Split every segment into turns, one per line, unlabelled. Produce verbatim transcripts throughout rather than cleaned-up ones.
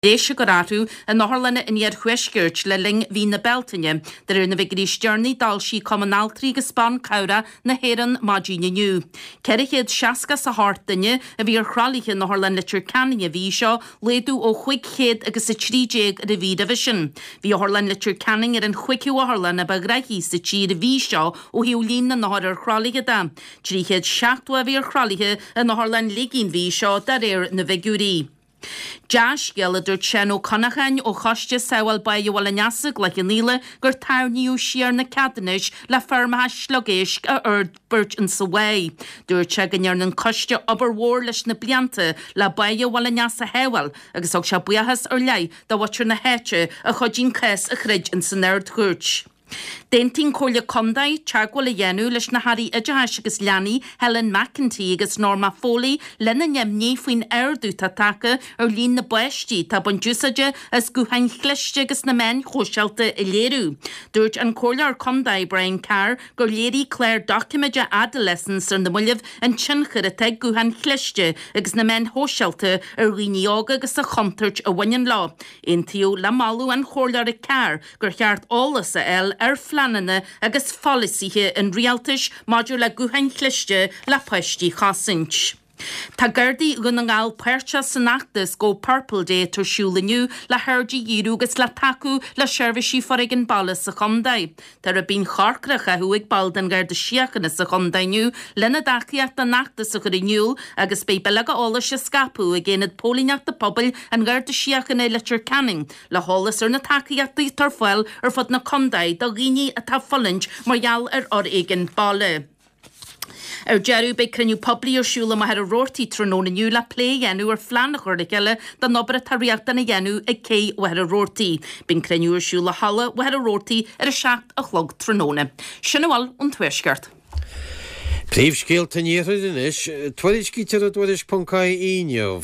Breis a chur orthu in otharlanna an iarthuaiscirt le linn mhí na Bealtaine, de réir na bhfigiúirí is deireanaí a d'fhoilsigh Cumann Altraí agus Ban Cabhrach na hÉireann maidin inniu. ceithre chéad seasca is a hocht duine a bhí ar thralaithe in Otharlann Leitir Ceanainn an mhí seo, laghdú ó chúig chéad agus a trí déag ar an mhí roimhe sin. Bhí Otharlann Leitir Ceanainn ar an chúigiú otharlann a ba ghnaithí sa tír an mhí seo ó thaobh líon na n-othar ar thralaithe de. trí chéad seachtó a bhí ar thralaithe in Otharlann Fhligín an mhí seo de réir na bhfigiúirí. Dea-scéal, a dúirt Seán Ó Connacháin ó Choiste Sábháil Báighe Bhaile an Easa i gCloich Cheann Fhaola gur tarraingíodh siar na ceadúnais le feirmeacha sliogéisc a fhorbairt insa bháigh. Dúirt sé go ndearna an coiste obair mhór leis na blianta le báighe Bhaile an Easa a shábháil agus thug sé buíochas ar leith do mhuintir na háite a chuidigh an cás a throid insan Ard-Chúirt. D'aontaigh an Chomhairle Contae teagmháil a dhéanamh leis na hAirí Oideachais agus Leanaí Helen McEntee agus Norma Foley lena n-imní faoin ardú atá tagtha ar líon na bpáistí atá ag baint úsáide as gutháin chliste agus na meáin shóisialta a léiriú. Dúirt an Comhairleoir Contae Brian Carr gur léirigh clár doiciméide Adolescence ar na mallaibh an tionchar atá ag gutháin chliste agus na meáin shóisialta ar dhaoine óga agus an chontúirt a bhaineann leo. Aontaíodh le moladh an Chomhairleora Carr gur cheart eolas a fháil ar phleananna agus pholasaithe an rialtais maidir le gutháin chliste le páistí a chosaint. Tá Gardaí Dhún na nGall páirteach san fheachtas Go Purple Day atá ar siúl inniu le haird a dhíriú agus le tacú le seirbhísí foréigin baile sa chontae. Tá ribín chorcra á chaitheamh ag baill den Gharda Síochána sa chontae inniu lena dtacaíocht don fheachtas a chur in iúl agus beidh bileoga eolais á scaipeadh ag Aonad Póilíneachta Pobail an Gharda Síochána i Leitir Ceanainn le heolas ar na tacaíochtaí atá ar fáil ar fud na contae do dhaoine atá ag fulaingt mar gheall ar fhoréigean baile. Ar deireadh, beidh cruinniú poiblí ar siúl i Machaire Rabhartaigh tráthnóna inniu le plé a dhéanamh ar phlean a chur le chéile don obair atá riachtanach a dhéanamh ag cé Mhachaire Rabhartaigh. Beidh an cruinniú ar siúl i halla Mhachaire Rabhartaigh ar a seacht a chlog tráthnóna. Sin a bhfuil ón Tuaisceart.
Príomhscéalta an Iarthair anois, Tuairiscítear i dTuairisc ponc ie inniu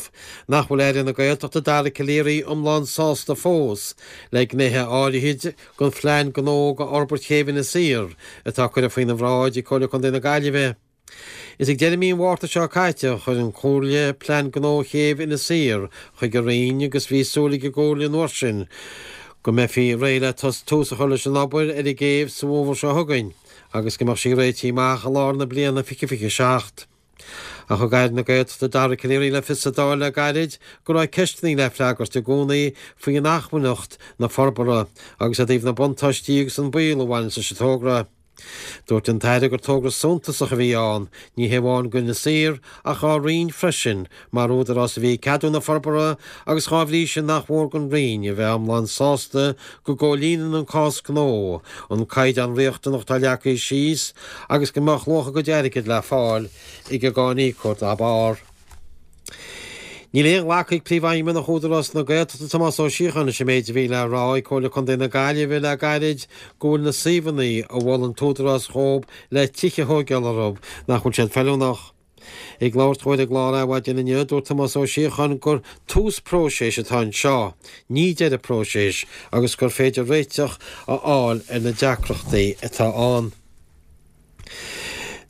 nach bhfuil Aire na Gaeltachta Dara Calleary iomlán sásta fós le gnéithe áirithe den phlean gnó do fhorbairt chéibh Inis Oírr atá curtha faoina bhráid ag Comhairle Contae na Gaillimhe. Is ag deireadh mí an Mhárta seo caite a chuir an Chomhairle plean gnó chéibh Inis Oírr chuig an Roinn agus bhí súil ag an gComhairle an uair sin go mbeifí réidh le tús a chur leis an obair ar an gcéibh sa bhfómhar seo chugainn agus go mbeadh sí réitithe amach i lár na bliana fiche fiche seacht. Ach thug Aire na Gaeltachta Dara Calleary le fios sa Dáil le gairid go raibh ceisteanna le freagairt i gcónaí faoi inacmhainneacht na forbartha agus i dtaobh na buntáistí agus an baol a bhaineann leis an togra. Dúirt an tAire gur togra suntasach a bhí ann, ní hé amháin d'Inis Oírr ach dá Roinn freisin, mar údarás a bhí ag ceadú na forbartha agus dá bhrí sin nach mhór don Roinn a bheith iomlán sásta go gcomhlíonann an cás gnó an caighdeán riachtanach atá leagtha síos agus go mbeadh luach a gcuid airgid le fáil ag an gcáiníocóir dá barr. Níl aon ghlacadh ag Príomhfheidhmeannach Údarás na Gaeltachta Tomás Ó Síocháin leis an méid a bhí le rá ag Comhairle Contae na Gaillimhe le gairid go bhfuil na suíomhanna a mhol an tÚdarás dhóibh le tithe a thóigeáil orthu nach bhfuil siad feiliúnach. Ag labhairt dó ar an gclár Adhmhaidin inniu, dúirt Tomás Ó Síocháin gur tús próiseas atá anseo, ní deireadh próiseas, agus gur féidir réiteach a fháil ar na deacrachtaí atá ann.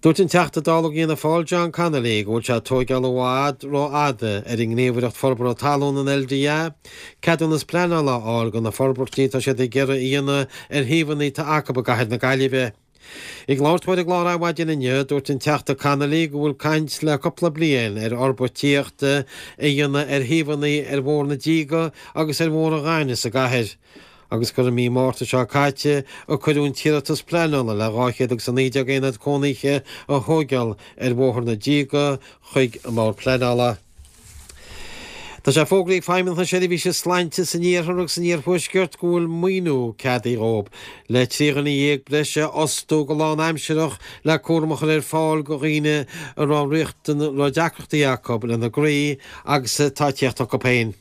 Dúirt an Teachta Dála d'Fhianna Fáil John Connolly go bhfuil sé ag tóigeáil i bhfad ró-fhada ar an nGníomhaireacht Forbartha Talún, an L D A, ceadúnas pleanála a fháil do na forbairtí atá siad ag iarraidh a dhéanamh ar shuíomhanna atá acu i gcathair na Gaillimhe. Ag labhairt dó ar an gclár Adhmhaidin inniu, dúirt an Teachta Connolly go bhfuil caint le cúpla bliain ar fhorbairt tithíochta a dhéanamh ar shuíomhanna ar Bhóthar na Díge agus ar Bhóthar an Ghainimh sa gcathair, agus gur i mí Márta seo caite a cuireadh an t-iarratas pleanála le dhá chéad agus a naoi déag aonad cónaithe a thóigeáil ar Bhóthar na Díge chuig an mBord Pleanála. Tá sé fógraithe ag Feidhmeannacht na Seirbhíse Sláinte san Iarthar agus san Iarthuaisceart go bhfuil maoiniú ceadaithe dhóibh le trí dhuine dhéag breise a fhostú go lánaimsearach le cúram a chur ar fáil do dhaoine a raibh raibh deacrachtaí acu lena gcroí agus atá ag tíocht chucu féin.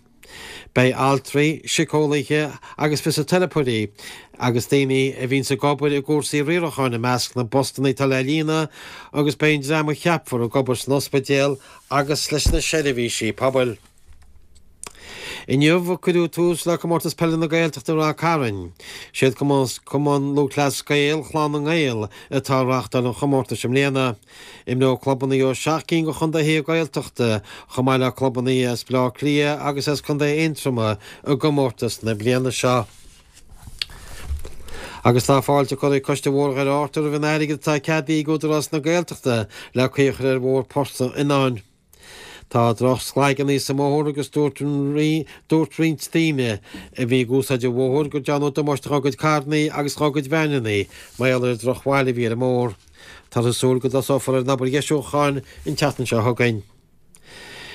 Beidh altraí, síceolaithe agus fisiteiripeoirí agus daoine a bhíonns ag obair i gcúrsaí riaracháin i measc na bpostanna atá le líonadh agus beidh an dream a cheapfar ag obair san ospidéal agus leis na seirbhísí pobail. Inniu a cuireadh tús le Comórtas Peile na Gaeltachta i Ráth Cairn. Siad Cumann Lúthchleas Gael Chlann na nGael atá ag reáchtáil an chomórtais i mbliana. Imreoidh clubanna ó seacht gcinn de chontaetha Gaeltachta, chomh maith le clubanna as Baile Átha Cliath agus as Contae Aontroma i gcomórtas na bliana seo. Agus tá fáilte curtha ag Coiste Bhóthar Dhoire Fhatharta roimh an airgead atá ceadaithe ag Údarás na Gaeltachta le caoi a chur ar Bhóthar Phort an Fhionnáin. Tá droch-shlaigeanna sa mbóthar agus dúirt dúirt roinnt daoine a bhí ag úsáid an bhóthair go ndearnadh damáiste dá gcuid carranna agus dá gcuid veaineanna mar gheall ar an drochbhail a bhí ar an mbóthar. Táthar ag súil go dtosófar ar an obair dheisiúcháin an tseachtain seo chugainn.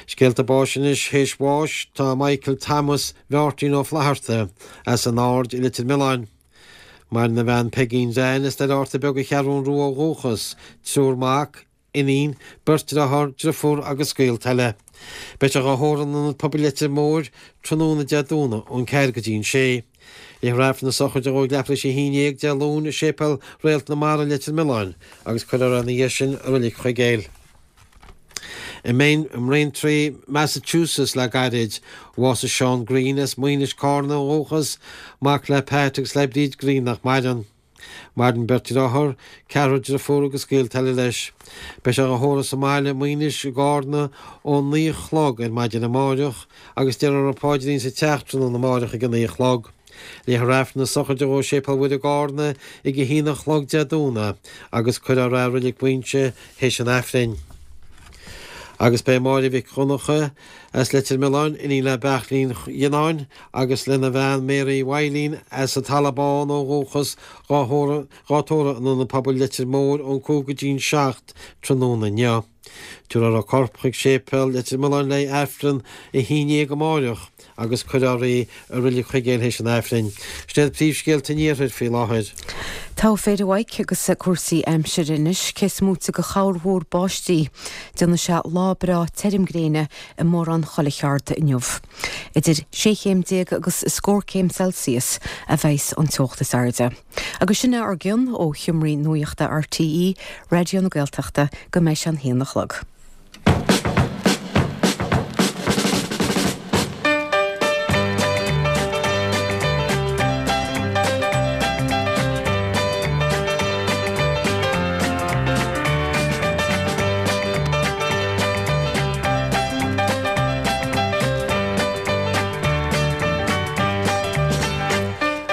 Scéalta báis anois théis bháis tá Michael Thomas Mháirtín Ó Flatharta as an Aird i Leitir Mealláin. Maireann a bhean Peigín Jean as Doire Fhatharta Beag an Cheathrún Rua ó dhúchas, triúr mac, iníon, beirt deartháir, deirfiúr agus gaolta eile. Beidh sé dhá thórramh in Ionad Pobail Leitir Móir tráthnóna Dé Domhnaigh ón ceathair go dtí an sé. Léifear Aifreann na sochraide dhó ag leathuair tar éis a haon déag Dé Luain i Séipéal Réalt na Mara Leitir Mealláin agus cuirfear é ina dhiaidh sin i Reilig Chuigéil. I mBraintree, Massachusetts le gairid, bhásaigh Seán Green as Maínis Carna ó dhúchas, mac le Pat agus le Bríd Green nach maireann. Maireann beirt deartháir, ceathrar deirfiúr agus gaolta eile leis. Beidh sé á thórramh sa mbaile Maínis i gCarna ón naoi a chlog ar maidin amáireach agus déarfar an paidrín sa teach tráthnóna amáireach ag a naoi a chlog. Léifear Aifreann na sochraide dhó i Séipéal Mhuire i gCarna ag a haon a chlog Dé Domhnaigh agus cuirfear é i Reilig Mhaínse théis an Aifrinn. Agus beidh Máire Mhic Dhonncha as Leitir Mealláin, iníon le Beairtlín Dhionnáin agus lena bhean Mary Mhaidhlín as an Talamh Bán ó dhúchas dhá tórramh in Ionad Pobail Leitir Móir ón cúig go dtí an seacht tráthnóna inniu. Tabharfar a corp chuig Séipéal Leitir Mealláin le Aifreann a haon déag amáireach agus cuirfear í i Reilig Chuigéil théis an Aifrinn. Sin iad príomhscéalta an Iarthair faoi láthair.
Togha fir a Mhaidhc agus cúrsaí aimsire anois, cé is móite de chorrmhúr báistí, déanfaidh sé lá breá tirim gréine i mórán chuile cheard inniu. Idir sé chéim déag agus scór céim Celsius a bheas an teocht is airde. Agus sin é ár gcion ó Sheomraí Nuachta RTÉ, Raidió na Gaeltachta, go mbeidh sé an haon a chlog.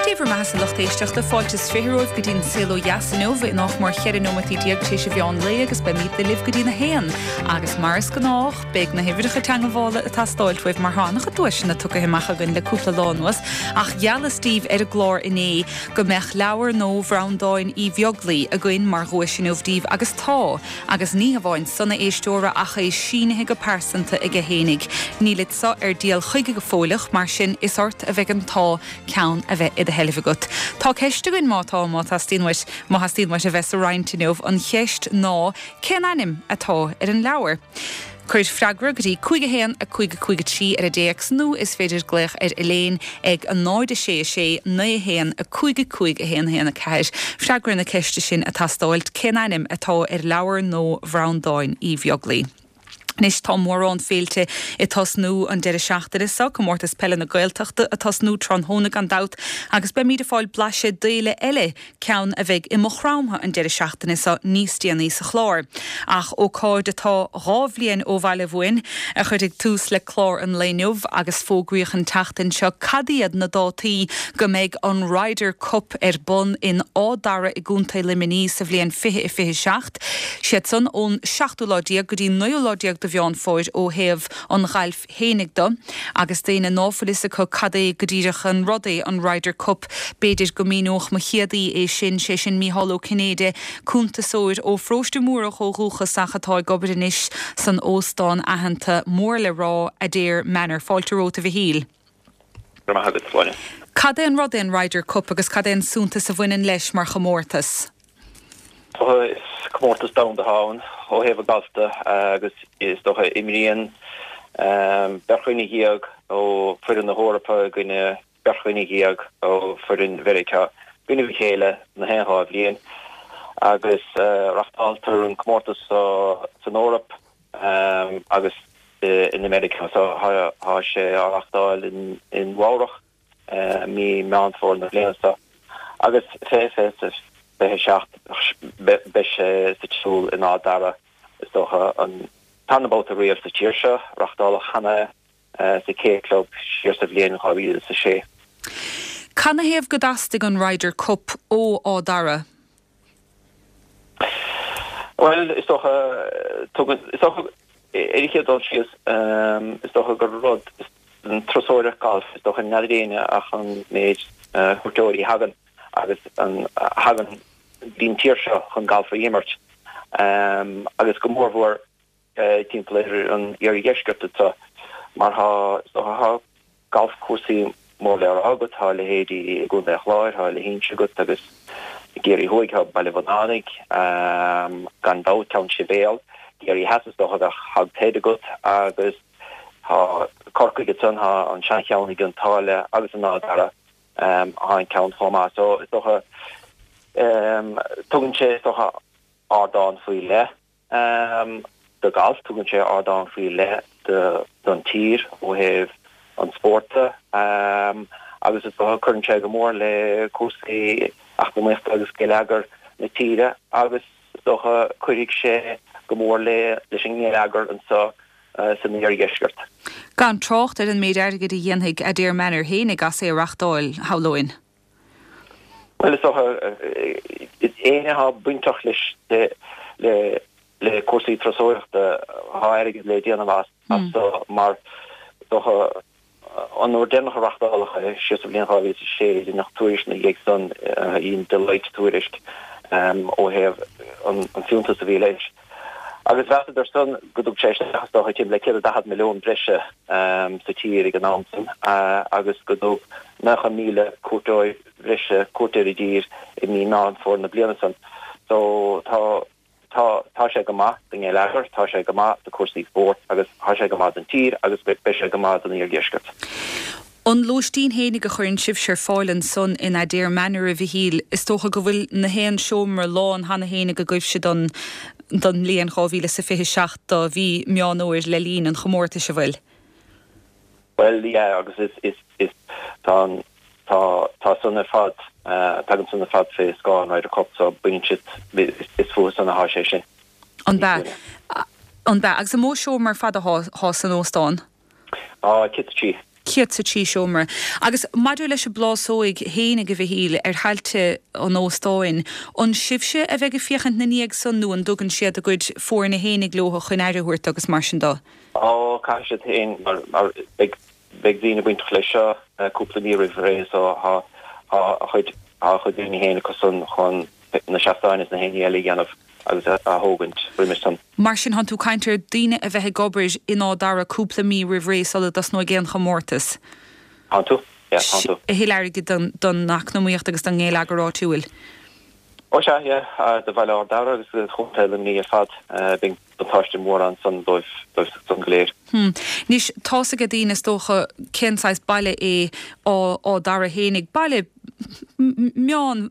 Dia bhur mbeatha a lucht éisteachta, fáilte is fiche romhaibh go dtí an Saol Ó Dheas inniu in nach mór cheithre nóimeataí déag tar éis an mheán lae agus beimid libh go dtí'n a haon. Agus mar is gnách, beidh na huimhreacha teagmhála ag teastáilt uaibh mar tá an-chuid duaiseanna tugtha amach againn le cúpla lá anuas, ach gheallas daoibh ar an gclár inné go mbeadh leabhar nua Bhreandáin Uí Bheaglaoi againn mar dhuais inniu daoibh agus tá, agus ní hamháin san a éisteora ach é sínithe go pearsanta aige fhéinig. Nílid seo ar díol chuige go fóilleach, mar sin is ort a bheidh an t-ádh ceann a bheith i do sheilbh agat. Tá ceist againn má tá, má theastaíonn uait, má theastaíonn uait a bheith sa roinnt inniu, an cheist ná cén ainm atá ar an leabhar? Cuir freagra go dtí cúig a haon a cúig a cúig a trí ar an dtéacs nó is féidir glaoch ar Elaine ag a náid a sé a sé naoi a haon a cúig a cúig a haon a haon a ceathair. Freagra na ceiste sin ag teastáilt, cén ainm atá ar leabhar nua Bhreandáin Uí Bheaglaoi? Anois tá mórán féilte ag tosnú an deireadh seachtaine seo, Comórtas Peile na Gaeltachta ag tosnú tráthnóna gan dabht agus beimid ag fáil blaiseadh d'fhéile eile, ceann a bheidh i Maigh Chromtha an deireadh seachtaine seo níos déanaí sa chlár. Ach ócáid atá dhá bhliain ó bhaile uainn a chuirfidh tús le clár an lae inniu agus fógraíodh an tseachtain seo cad iad na dátaí go mbeidh an Ryder Cup ar bun in Áth Dara i gContae Luimnigh sa bhliain fiche a fiche seacht. Siad san ón seachtú lá déag go dtí naoú lá déag de Mheán Fómhair ó thaobh an ghailf fhéinig de, agus d'éinne ná fuil fhios acu cad é go díreach an rud é an Ryder Cup, b'fhéidir go míneodh mo chéad aoi é sin, sé sin Mícheál Ó Cinnéide, cuntasóir ó Pharóiste Múrach ó dhúchas ach atá ag obair anois san óstán aitheanta mór le rá, Adare Manor. Fáilte romhat a Mhichíl.
Go raibh maith agat, Sláine.
Cad é an rud é an Ryder Cup agus cad é an suntas a bhaineann leis mar chomórtas?
Is comórtas domhanda atá ann ó thaobh an ghailf de agus is dócha imríonn beirt dhuine dhéag ó foireann na hEorpa i gcoinne beirt dhuine dhéag ó foireann Mheiriceá i gcoinne a chéile na haon dhá bhliain agus reáchtáiltear an comórtas san Eoraip agus in America so tá sé á reáchtáil in in Nua-Eabhrac mí Meán Fómhair na bliana seo agus fiche fiche fiche seacht beidh sé sa tsiúl in Áth Dara is dócha an tarna babhta riamh sa tír seo reáchtáladh cheana sa K Club siar sa bhliain dhá mhíle is a sé.
Canathaobh go dteastaigh an Ryder Cup ó Áth Dara?
Bhuel, is dócha, tugann, is dócha, ar an chéad dul síos, is dócha gur rud, an turasóireacht gailf, is dócha n'fheadar éinne ach an méid cuairteoirí a thagann agus an a thagann go dtí an tír seo chun galf a imirt agus go mórmhór timpeall ar an iardheisceart anseo mar tá, is dócha, tá galfchúrsaí mór le rá agat, tá a leithéidí i gContae an Chláir, tá a leithéid agat agus i gCiarraí Thuaidh tá Baile Bhunánaigh, gan dabht Ceann Sibéal, Ciarraí Theas is dócha bheadh Hog's Head agat agus tá Corcaigh ansan, tá an seancheann i gCionn tSáile agus in Áth Dara tá an ceann chomh maith. So is dócha tugann sé is dócha ardán faoi leith do ghalf, tugann sé ardán faoi leith don tír ó thaobh an spóirt de agus is dócha cuireann sé go mór le cúrsaí eacnamaíochta agus geilleagar na tíre agus is dócha cuirfidh sé go mór le leis an ngeilleagar anseo san iardheisceart.
Gan trácht ar an méid airgid a dhéanfaidh Adare Manor fhéinig as é a reachtáil, shamhlóinn.
Bhuel, is dócha, éinne atá bainteach leis le le cúrsaí turasóireachta, tá airgead le déanamh as so mar is dócha an uair deireanach a reachtáladh é, siar sa bhliain dhá mhíle is a sé, deineadh tuairisc ina dhiaidh san, dhein Deloitte tuairisc ó thaobh an fiúntas a bhí leis. Agus mheasadar san go dtug sé isteach is dócha timpeall le céad is daichead milliún breise sa tír ag an am san agus go dtug nócha míle cuairteoir bhreise cuairt ar an dtír i mí Meán Fómhair na bliana san. So tá tá tá sé go maith don ngeilleagar, tá sé go maith do cúrsaí spóirt agus tá sé go maith don tír agus beidh sé go maith don iardheisceart.
An lóistín fhéinig a chuireann sibhse ar fáil ansan in Adare Manor, a Mhichíl, is dócha go bhfuil na haon seomra lán cheana fhéinig agaibhse don don mbliain dhá mhíle is a fiche seacht do mhí Meán Fhómhair le linn an chomórtais, an bhfuil?
Bhuel, yeah, agus is is is tá an tá tá san ar fad, tagann san ar fad fé scáth an Ryder Cup so baineann siad, is fúthu san athá sé sin.
An b'ea? An b'ea? Agus an mó seomra ar fad athá san óstán?
Á, céad 's a trí.
Céad 's a trí seomra. Agus maidir leis an bplásóig fhéinig, a Mhichíl, ar thailte an óstáin, an sibhse a bheidh ag féachaint 'na ndiaidh san nó an dtugann siad a gcuid foirne fhéinig leo chun aire a thabhairt agus mar sin de?
Á, caithfidh siad féin mar mar beidh beidh daoine bainteach leis seo cúpla mí roimh ré so tá tá a chuid tá a chuid daoine féin acu san chun na seastáin is na haon ní eile a dhéanamh agus a thógaint roimis san.
Mar sin, thánn tú ag caint ar daoine a bheith ag obair in Áth Dara cúpla mí roimh ré sula dtosnóidh aon chomórtas.
Thánn tú, yeah, thánn tú.
A thuilleadh airgid don don eacnamaíocht agus don ngeilleagar áitiúil.
Ó sea, yeah, do bhaile Ard Dara agus do Chontae Luimnigh ar fad, beidh buntáiste mór ansan dóibh, dóibh san go léir.
Hmm. Anois, tá's age daoine is dócha cén saghas baile é Áth Dara fhéinig, baile meán,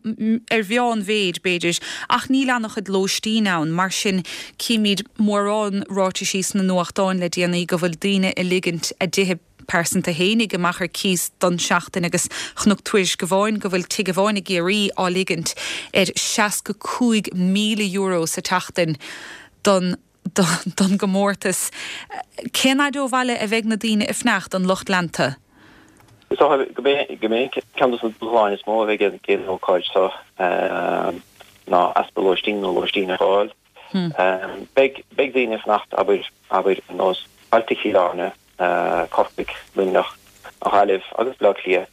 ar mheánmhéid b'fhéidir, ach níl an-chuid lóistín ann, mar sin címid mórán ráitisí sna nuachtáin le déanaí go bhfuil daoine ag ligint a dtithe pearsanta fhéinig amach ar cíos don seachtain agus chonac tuairisc amháin go bhfuil tigh amháin i gCiarraí á ligint ar seasca cúig míle euro sa tseachtain don don gcomórtas. Cén fhaid ó bhaile a bheidh na daoine ag fanacht, an lucht leanta?
Is dócha go mbeidh ceann de na dúshláin is mó a bheidh ag an ócáid seo ná easpa lóistín nó lóistín a fháil. Beidh daoine ag fanacht, abair, abair ar nós bailte Chill Airne, Corcaigh, Luimneach, an Ghaillimh agus Baile Átha Cliath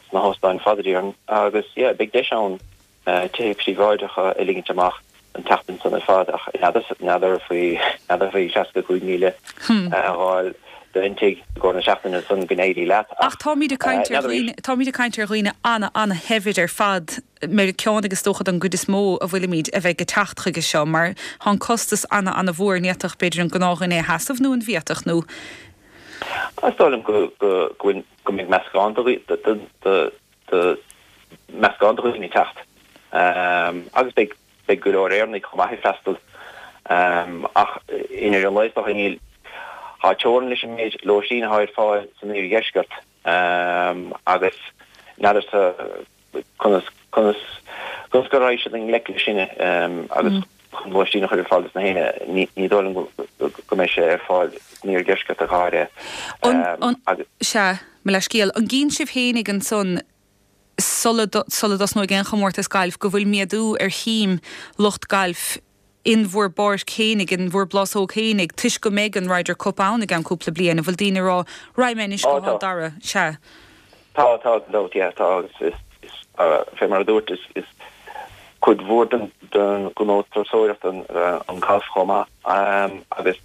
sna hóstáin fad a déarfainn agus yeah beidh deis ann tithe príobháideacha a ligint amach an tseachtain san ar fad ach n'fheadar faoi n'fheadar faoi seasca cúig míle a fháil d'aon tigh i gcomhair na seachtaine san go n-éirí leat
Ach
ach
táimid ag caint ar
n'fheadar
dhaoine, táimid ag caint ar dhaoine ana-ana-shaibhir ar fad, Meiriceánaigh is dócha don gcuid is mó a bhfuilimid a bheidh ag teacht chuige seo mar tá an costas ana-ana-mhór, ní fhéadfadh b'fhéidir an gnáthdhuine é a sheasamh nó an bhféadfadh nó.
Is dóigh liom go go go bhfuil go mbeidh meascán de de de de meascán de dhaoine ag teacht agus beidh beidh go leor Éireannaigh chomh maith ag freastal ach i ndeireadh an lae is dócha níl Tá teorainn leis an méid lóistín atá ar fáil san iardheisceart agus n'fheadarsa conas conas conas go raghaidh siad i ngleic leis sin agus chun lóistín a chur ar fáil dos na héinne, ní dóigh liom go mbeidh sé ar fáil san iardheisceart ach go
háirithe. Sea, mo leithscéal. An gcíonn sibh fhéinig ansan sula sula dtosnóidh aon chomórtas gailf go bhfuil méadú ar shuim lucht gailf in bhur bpáirc fhéinig, in bhur bplásóg fhéinig, toisc go mbeidh an Ryder Cup ann i gceann cúpla bliain, an bhfuil daoine ag rá, 'Raghaidh mé anois go hÁth Dara'? Sea.
Tá, tá, gan dabht, yeah, tá agus is, is, fé mar a dúirt, is, is cuid mhór den, den ghnó turasóireachta an, an galf chomh maith agus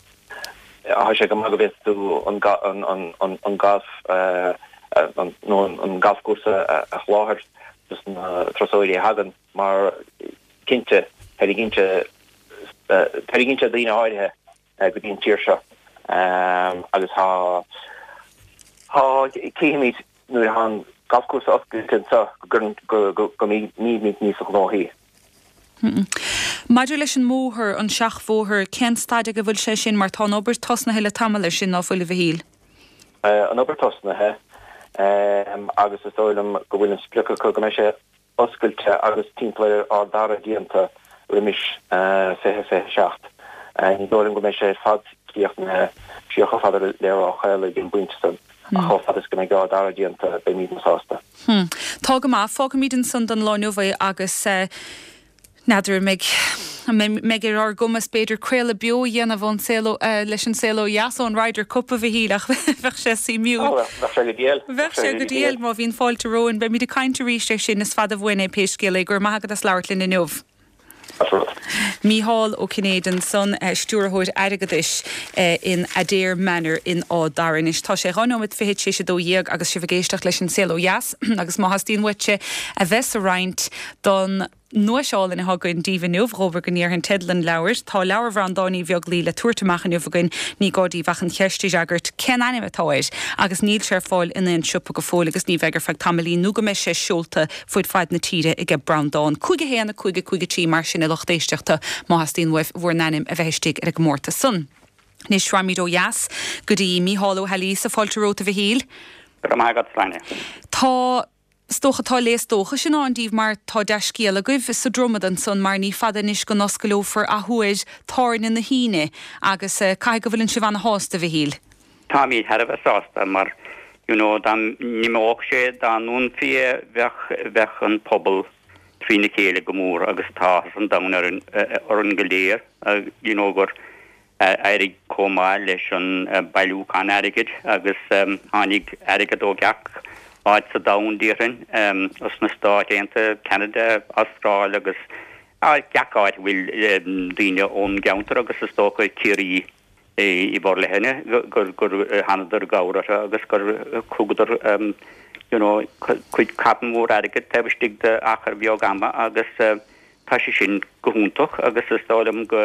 tá sé go maith go bhféadfaidh tú an, an, an, an, an galf, nó an, an galfchúrsa a sholáthar dos na turasóirí a thagann mar cinnte, tarraingíonn sé, tarraingíonn sé daoine áirithe go dtí an tír seo agus tá, tá, cífimid nuair atá an galfchúrsa oscailte anseo go, go, go mbímid níos gnóthaí.
Maidir leis an mbóthar, an seachbhóthar, cén staid ag a bhfuil sé sin mar tá an obair tosnaithe le tamall air sin, ná fuil a Mhichíl?
An obair tosnaithe agus is dóigh liom go bhfuil an sprioc acu go mbeidh sé oscailte agus timpeall ar Ard Dara déanta roimis fiche fiche seacht. Ní dóigh liom go mbeidh sé ar fad críochnaithe siar chomh fada le Ráth Chaola ag an bpointe san ach chomh fada is go mbeidh Ard Dara déanta beimidne sásta.
Tá go maith. Fágfaimid ansan don lá inniu é agus n'fheadar an mbeidh an mbeidh ar ár gcumas b'fhéidir craoladh beo a dhéanamh ón saol leis an saol ó dheas ón Ryder Cup a Mhichíl ach bheadh sé suimiúil.
Ó, bheadh sé go diail.
Bheadh sé go diail má bhíonn fáilte romhainn. Beimid ag caint arís air sin, is fada uainn é pé scéal é. Go raibh maith agat as labhairt linn inniu. Mícheál Ó Cinnéide ansan, Stiúrthóir Airgeadais in Adare Manor in Áth Dara. Anois tá sé dhá nóiméad fichead tar éis a dó dhéag agus sibh ag éisteacht leis an Saol Ó Dheas agus má theastaíonn uaitse a bheith sa roinnt don nduais álainn atá againn daoibh inniu, dhóbair go ndéarfainn teideal an leabhair. Tá leabhar Bhreandáin Uí Bheaglaoi le tabhairt amach inniu againn, ní gá daoibh ach an cheist a fhreagairt, cén ainm atá air? Agus níl sé ar fáil in aon siopa go fóill agus ní bheidh ar feadh tamaillín nó go mbeidh sé seolta fud fad na tíre aige Breandán. Cúig a haon, a cúig, a cúig a trí mar sin a lucht éisteachta má theastaíonn uaibh bhur n-ainm a bheith istigh ar an gcomórtas san. Anois raghaimid ó dheas go dtí Mícheál Ó hAilíos, fáilte romhat a Mhichíl.
Go raibh maith agat, Sláine.
Tá Is dócha tá léas dóchais i ndán daoibh mar tá dea-scéal agaibh sa Dromad ansan mar ní fada anois go n-oscaileofar athuair Tábhairne na hAoine agus caithfidh go bhfuileann sibh ana-shásta, a Mhichíl.
Táimid thar a bheith sásta mar you know dá n-imeodh sé, dá ndúnfaí é bheadh, bheadh an pobal trína chéile go mór agus tá áthas an domhain orainn, orainn go léir you know gur éirigh chomh maith leis an bailiúchán airgid agus tháinig airgead ó gach áit sa domhan, déarfainn, os na Stáit Aontaithe, Ceanada, Astráil agus gach áit a bhfuil daoine ón gceantar agus is dócha Ciarraí i bhforleithne gur thánadar i gcabhair orthu agus gur thugadar you know cuid carn mór airgid taobh istigh d'achar bheag ama agus tá sé sin go hiontach agus is dóigh liom go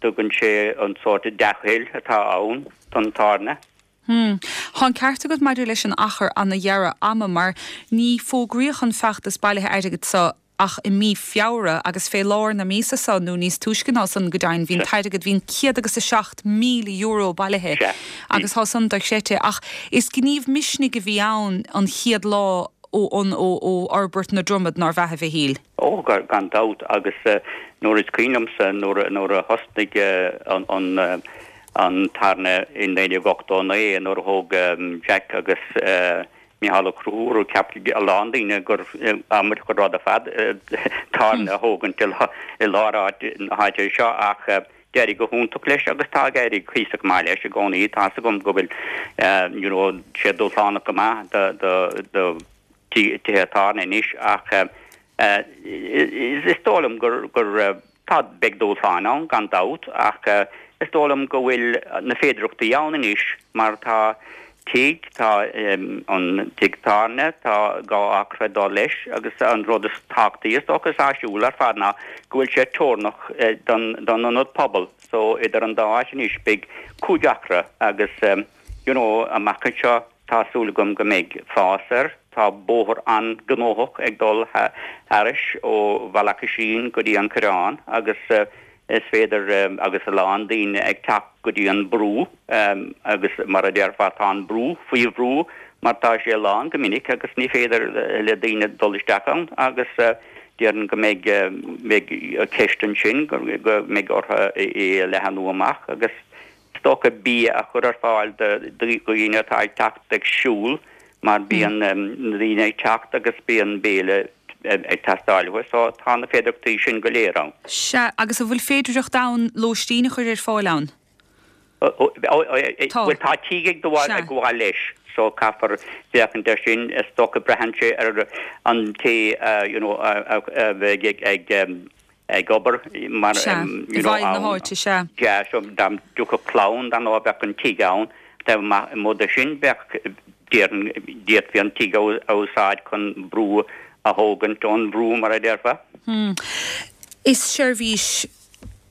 dtugann sé an sórt dea-thoil atá ann don tábhairne.
Hmm. Tá an ceart agat maidir leis an achar ana-ghearr ama mar ní fógraíodh an feachtas bailithe airgid seo ach i mí Feabhra agus fé lár na míosa seo nó níos túisce ná san go deimhin bhí an t-airgead, bhí an céad agus a seacht míle euro bailithe agus tá san dochreidte. Ach is gníomh misnigh a bhí ann an chéad lá ó ó ó fhorbairt na Dromad nárbh ea a Mhichíl?
Ó, gan dabht, agus nuair is cuimhin liomsa nuair nuair a thosnaigh an an an tábhairne i naoi déag ochtó a naoi nuair a thóg Jack agus Mícheál Ó Conchúir, cheap a lán daoine gur amaideach an rud ar fad tábhairne a thógaint i lár áit na háite seo ach d'éirigh go hiontach leis agus tá ag éirí cuíosach maith leis i gcónaí. Tá's agam go bhfuil you know sé dúshlánach go maith do do do tithe tábhairne anois ach is dóigh liom gur gur tá beidh dúshláin ann gan dabht ach is dóigh liom go bhfuil na féidireachtaí ann anois mar tá tigh, tá an tigh tábhairne, tá dhá acra ag dul leis agus an rud is tábhachtaí is dócha is áisiúil ar fad ná go bhfuil sé teorannach don don ionad pobail so idir an dá áit anois beidh cúig acra agus you know amach anseo tá súil agam go mbeidh fás air. Tá bóthar an-ghnóthach ag dul thairis ó Bhealach Oisín go dtí an Coireán agus Is féidir agus a lán daoine ag teacht go dtí an brú agus mar a déarfá tá an brú faoi bhrú mar tá sé lán go minic agus ní féidir le daoine dul isteach ann agus déarfainn go mbeidh mbeidh ceist ansin go mbeidh orthu é a leathnú amach agus is dócha bia a chur ar fáil do dhaoine atá ag teacht ag siúl mar bíonn na daoine ag teacht agus bíonn béile ag teastáil uathu so tá na féidearthachtaí sin go léir ann.
Sea, agus an bhfuil féidearthacht ann lóistín a chur ar fáil ann?
Tá. Bhuel tá tigh ag gabháil leis so caithfear féachaint air sin, is dócha braitheann sé ar an té you know a bheidh ag ag obair mar
Sea, i
you know
bhfeighil na
ann.
háite, sea.
Yeah, so dá dtiocfadh clann dar ndóigh bheadh an tigh ann, taobh amuigh de sin bheadh déarfainn d'fhéadfaí an tigh a úsáid chun brú a thógaint ón bhrú mar a déarfá.
Is seirbhís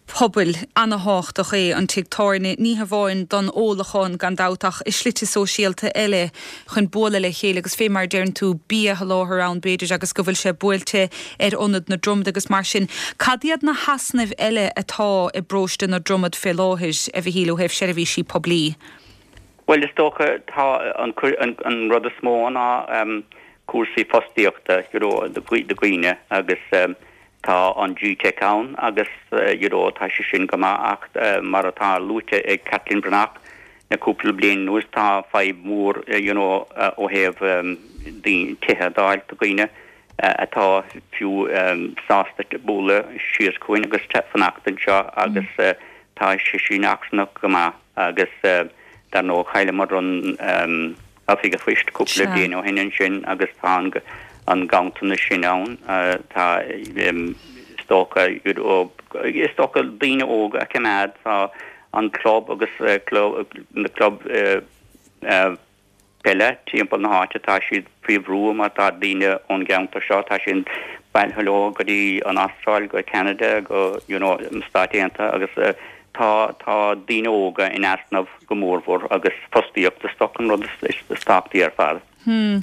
pobail ana-thábhachtach é an tigh tábhairne, ní hamháin don ólachán gan dabht ach i slite sóisialta eile chun bualadh le chéile agus fé mar a deireann tú bia a sholáthar ann b'fhéidir agus go bhfuil sé buailte ar ionad na Dromad agus mar sin. Cad iad na heasnaimh eile atá i bparóiste na Dromad fé láthair, a Mhichíl, ó thaobh seirbhísí poiblí?
Bhuel, is dócha, tá an, an rud is mó ná cúrsaí fostaíochta, you know, do dhaoine agus tá an GTeic ann agus, you know, tá sé sin go maith ach mar atá luaite ag Caitlín Breathnach le cúpla bliain anuas tá fadhb mhór, you know, ó thaobh daoine, tithe a d'fháil do dhaoine atá fiú sásta bualadh síos chugainn agus fanacht anseo agus tá sé sin achrannach go maith agus dar ndóigh chailleamar an Oifig an Phoist cúpla bliain ó shin ansin agus tá an ganntanas sin ann. Tá is dócha is dócha daoine óga a choimeád tá an club agus na club peile timpeall na háite tá siad faoi bhrú mar tá daoine ón gceantar seo tá siad bailithe leo go dtí an Astráil go Ceanada go you know na Stáit Aontaithe agus tá tá daoine óga in easnamh go mórmhór agus fostaíocht is dócha an rud is is tábhachtaí ar fad.
Hmm.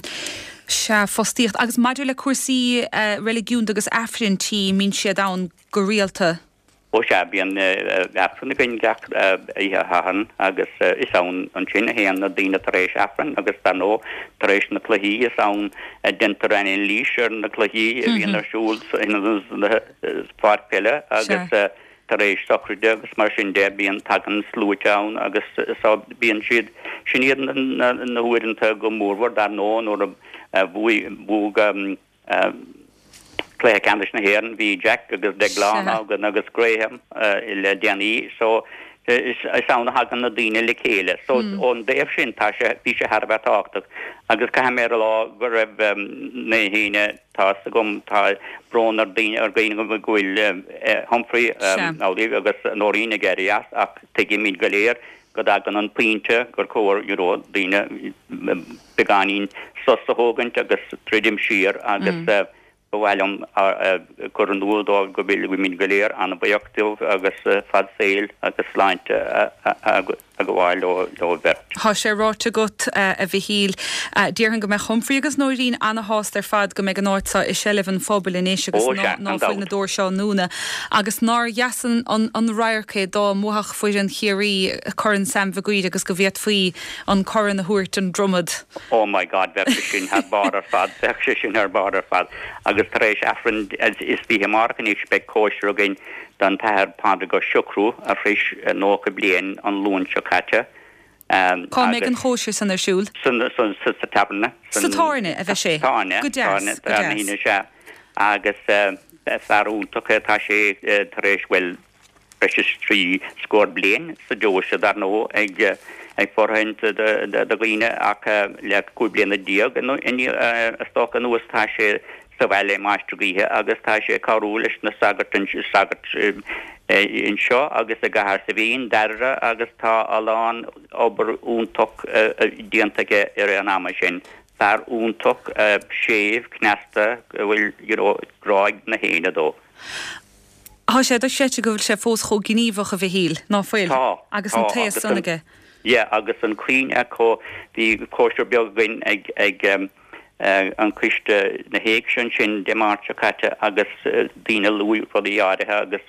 Sea, fostaíocht. Agus maidir le cúrsaí reiligiúnda agus Aifrinn tí, mbíonn siad ann go rialta?
Ó sea, bíonn Aifreann againn gach oíche Shathairn agus is ann ansin a théann na daoine tar éis Aifrinn agus dar ndóigh tar éis na cluichí is ann a deintear anailís ar na cluichí a bhíonn ar siúl sa pháirc peile agus tar éis sochraide agus mar sin de bíonn tagann sluaite ann agus so bíonn siad sin iad na huaireanta go mórmhór dar ndóigh nuair a bhuaigh bhuaigh Cluiche Ceannais na hÉireann, bhí Jack agus Deaglán againn agus Graham le déanaí so is ann a thagann na daoine le chéile. So ón dtaobh sin tá sé, bhí sé thar a bheith tábhachtach agus caithfidh mé a rá go raibh na héinne, tá fhios agam, tá brón ar daoine, ar dhaoine go bhfuil Humphrey amhlaidh agus Nóirín ag éirí as ach tuigimid go léir go dtagann an pointe gur chóir you know daoine beagáinín sos a thógaint agus druidim siar agus ba mhaith liom a chur in iúl dóibh go bhfuilimid go léir an-bhuíoch díobh agus fad saoil agus sláinte a ghabháil leo beirt.
Tá sé ráite agat, a Mhichíl. Déarfainn go mbeadh Humphrey agus Nóirín ana-shásta ar fad go mbeidh an áit seo i seilbh an phobail anois agus ná fuil na doirse á ndúnadh. Agus nár dheas an radharc é dá mbuafadh foireann Chiarraí Corn Sam Mhig Uidhir agus go bhféadfaí an corn a thabhairt don Dromad.
Oh my God, bheadh sé sin thar barr ar fad, bheadh sé sin thar barr ar fad. Agus tar éis Aifreann is fiche amárach anois beidh cóisir againn don tAthair Pádraig Ó Siochrú a shrois nócha bliain an Luan seo caite.
Cá mbeidh an chóisir san ar siúl?
Sa tábhairne.
Sa tábhairne a bheidh sé?
Sa tábhairne.
Go deas, go deas.
Sea. Agus fear iontach é, tá sé tar éis, bhuel, breis is trí scór bliain sa deoise dar ndóigh ag ag fóirithint do dhaoine ach le cúig bliana déag is dócha anuas tá sé sa bhaile i Mainistir Gaoithe agus tá sé ag cabhrú leis na sagairt sagairt anseo agus i gCathair Saidhbhín, Dairbhre agus tá a lán obair iontach déanta aige i rith an ama sin. Fear iontach séimh cneasta go bhfuil you know grá ag na héinne dó.
Tá sé dochreidte go bhfuil sé fós chomh gníomhach, a Mhichíl, ná fuil?
Tá,
Agus an
tá,
t-aos
agus
san
an,
aige.
yeah, agus an cuimhne acu, bhí cóisir beag againn ag, ag an coiste na héigse ansin Dé Máirt seo caite agus daoine luaigh rudaí áirithe agus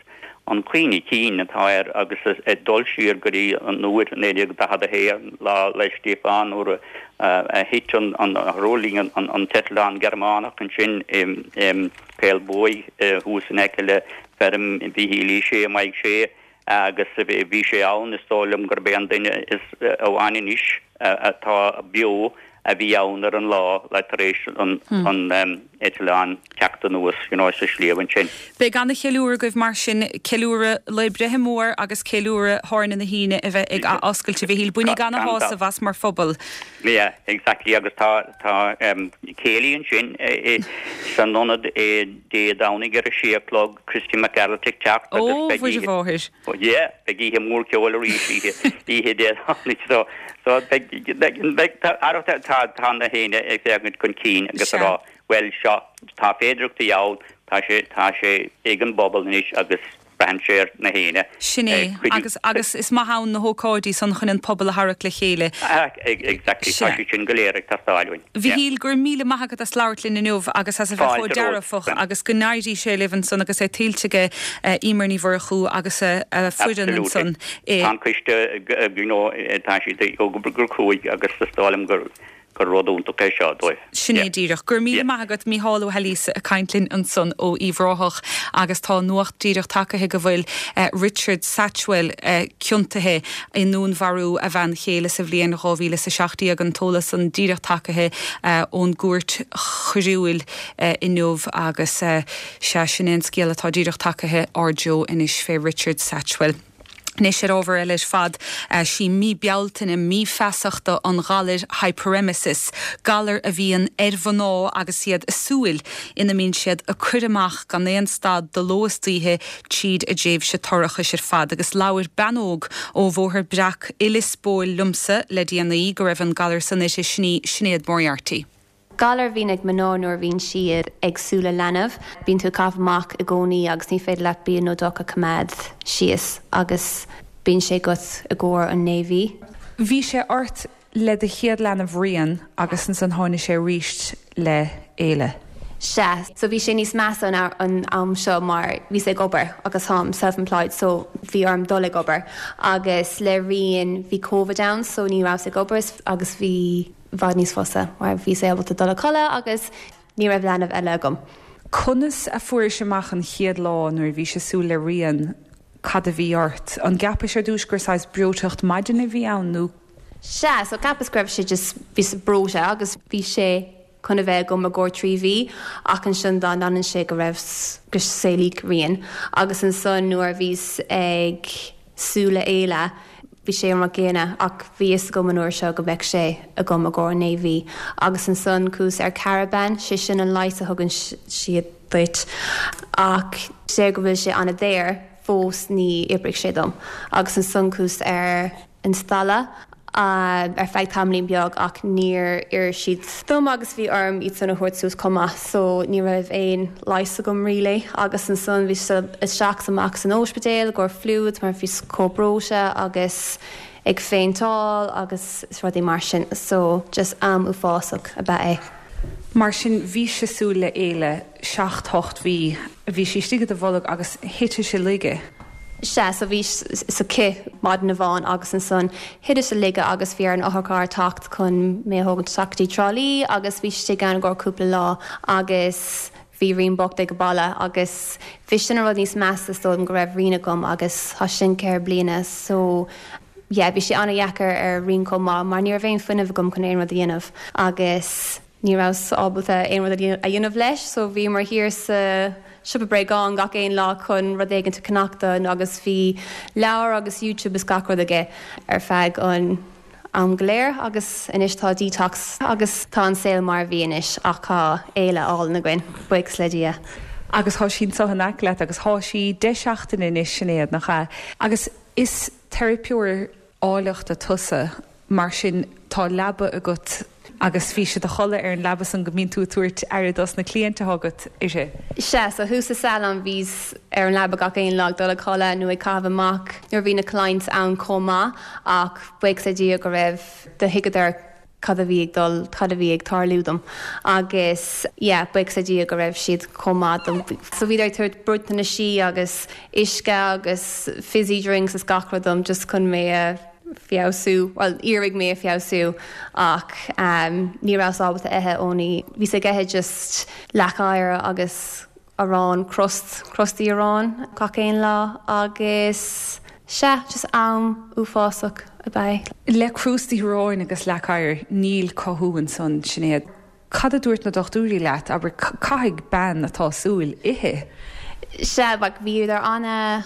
an cuimhne cinn atá air agus ag dul siar go dtí an uair naoi déag daichead a haon, Lá 'le Stíofáin, nuair a thit an a thuirling an t-eitleán Gearmánach ansin i Caol Buaidh thuas in aice le feirm Mhíchíl Uí Shé i Maigh Sé agus bhí sé ann, is dóigh liom gurb é an duine is amháin anois atá beo a bhí ann ar an lá le tar éis an eitleán teacht anuas you know sa sliabh ansin.
Beidh ana-cheiliúradh agaibh mar sin, ceiliúradh Lae Breithe Mór agus ceiliúradh Thairne na hAoine a bheith ag athoscailt, a Mhichíl. Bainigí ana-shásamh as mar phobal.
Yeah, exactly agus tá tá céilí ansin san ionad Dé Domhnaigh ar a sé a chlog, Christy Mac Gearailt ag teacht agus
Ó,
beidh
Mhuire
oíche
Mháthair.
Yeah, beidh oíche mhór ceoil arís oíche oíche Dé Domhnaigh so So beidh, beidh, beidh, tá, tá, tá na héinne ag féachaint chun cinn agus ag
Sea.
rá, bhuel, seo, tá féidearthachtaí ann, tá sé, tá sé ag an bpobal anois agus braitheann sé ar na héinne
Sin é,
ag cuidiú.
agus, agus is maith ann na hócáidí san chun an pobal a tharrac le chéile.
Ah, exactly, tá
Sea.
siad sin go léir ag teastáil uainn. Yeah.
Mhichíl, go raibh míle maith agat as labhairt linn inniu agus as a bheith chomh
Fáilte romhat.
dearfach agus go n-éirí sé libh ansan agus é tuillte aige Eimear Ní Mhurchú agus a foireann
Absolutely.
ansan i.
Tá an coiste, you know, tá siad ag obair go cruaidh agus is dóigh liom gur gur rud iontach é seo dóibh.
Sin é
Yeah.
díreach. Go raibh míle
Yeah.
maith agat Mícheál Ó hAilíosa ag caint linn ansan ó Uíbh Ráthach agus tá nuacht díreach tagaithe go bhfuil Richard Satchwell ciontaithe i ndúnmharú a bhean chéile sa bhliain dhá mhíle is a seacht déag an t-eolas san díreach tagaithe ón gcúirt choiriúil inniu agus sea sin é an scéal atá díreach tagaithe ár dtreo anois fé Richard Satchwell. Anois ar ábhar eile ar fad, sí mí Bealtaine mí feasachta an ghalair hyperemesis, galar a bhíonn ar mhná agus iad ag súil ina mbíonn siad ag cur amach gan aon stad de ló is d'oíche tríd a dtréimhse toirchis ar fad. Agus labhair bean óg ó Bhóthar Breac i Lios Póil liomsa le déanaí go raibh an galar san uirthi, sin í Sinéad Moriarty.
Galar a bhíonn ag mná nuair a bhíonn siad ag súil le leanbh. Bíonn tú ag caitheamh amach i gcónaí agus ní féidir leat bia nó deoch a choimeád síos agus bíonn sé agat i gcomhair an naoi mhí.
Bhí sé ort le do chéad leanbh Rian agus ansan tháinig sé arís le Éile.
Sea, so bhí sé níos measa an, an am seo mar bhíos ag obair agus táim self-employed so bhí orm dul ag obair agus le Rian bhí Covid ann so ní rabhas ag obair agus bhí i bhfad níos fusa mar bhíos ábalta dul a chodladh agus ní raibh leanbh eile agam.
Conas a fuairis amach an chéad lá nuair a bhís ag súil le Rian cad a bhí ort? An gceapais ar dtús gur saghas breoiteacht maidine a bhí ann nó?
Sea, so cheapas go raibh sé just bhíos breoite agus bhí sé chun a bheith agam i gcomhair trí mhí ach ansin dá ndéanann sé go raibh go saolaíodh Rian agus ansan nuair a bhíos ag súil le Éile bhí sé an rud céanna ach bhí fhios agam an uair seo go mbeadh sé agam i gcomhair naoi mhí agus ansan chuas ar Cariban sé sin an leigheas a thugann siad duit ach sé go bhfuil sé an-daor fós ní oibrigh sé dom agus ansan chuas ar an Stala ar feadh tamaillín beag ach níor oir siad dom agus bhí orm iad san a thabhairt suas chomh maith so ní raibh aon leigheas agam really agus ansan bhí isteach is amach san ospidéal i gcomhair fluids mar bhíos chomh breoite agus ag fainteáil agus rudaí mar sin so just am uafásach ab ea é.
Mar sin bhís ag súil le Éile seacht hocht mhí, bhí sí istigh i do bholg agus thit sí i laige.
Sea, so bhíos aici maidin amháin agus ansan thit sí i laige agus bhí ar an otharcharr teacht chun mé a thógaint isteach go dtí Trá Lí agus bhí istigh ann i gcomhair cúpla lá agus bhí Rian bocht ag baile agus bhí sin an rud níos measa is dóigh liom go raibh Rian agam agus tá sin ceithre bliana so yeah bhí sé an-dheacair ar Rian chomh maith mar ní raibh aon fuinneamh agam chun aon rud a dhéanamh agus ní rabhas ábalta aon rud a dhéanamh leis so bhíomar thiar sa siopa bréagán gach aon lá chun rud éigin a cheannach dó agus bhí leabhar agus YouTube is gach rud aige ar feadh an am go léir agus anois tá detox agus tá an saol mar a bhí anois ach tá Éile álainn againn, buíochas le Dia.
Agus tá sí anseo in aice leat agus tá sí deich seachtaine anois Sinéad, nach ea? Agus is teiripeoir áilleachta tusa, mar sin tá leaba agat agus bhí sé i do chodladh ar an leaba san go mbíonn tú ag tabhairt aire dos na cliaint atá agat, is ea?
Sea, so thuas sa salon bhíos ar an leaba gach aon lá ag dul a chodladh nó ag caitheamh amach nuair a bhí na clients ann chomh maith ach buíochas le Dia go raibh do thuigeadar cad a bhí ag dul cad a bhí ag tarlú dom agus yeah, buíochas le Dia go raibh siad chomh maith dom. So bhí ag tabhairt bruiteanaisí agus uisce agus fizzy drinks is gach rud dom just chun mé a feabhsú, well iarraidh mé a feabhsú ach um, ní rabhas ábalta ithe only bhíos ag ithe just leac oighir agus arán crust crustaí arán gach aon lá agus sea just am uafásach ab ea.
Le crústaí aráin agus leac oighir níl cothú ansan Sinéad. Cad a dúirt na dochtúirí leat abair caithfidh bean atá súil ithe?
Sea like bhíodar ana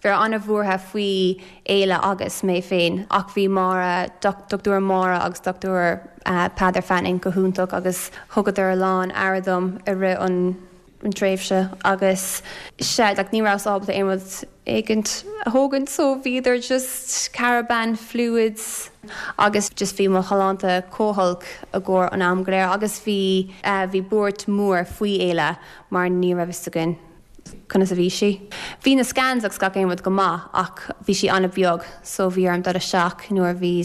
bhí an-bhuartha faoi Éile agus mé féin ach bhí Máire Dochtúir Máire agus Dochtúir uh, Peadar Fanning go hiontach agus thugadar a lán aire dom i rith an an tréimhse agus sé like, ní rabhas ábalta aon rud éigint a thógaint so bhíodar just caraban fluids agus just bhí mo shláinte chomh holc i gcomhair an am go léir agus bhí uh, bhí buairt mór faoi Éile mar ní raibh fhios againn conas a bhí sí. Bhí na scans agus gach aon rud go maith ach bhí sí an-bheag so bhí orm dul isteach nuair a bhí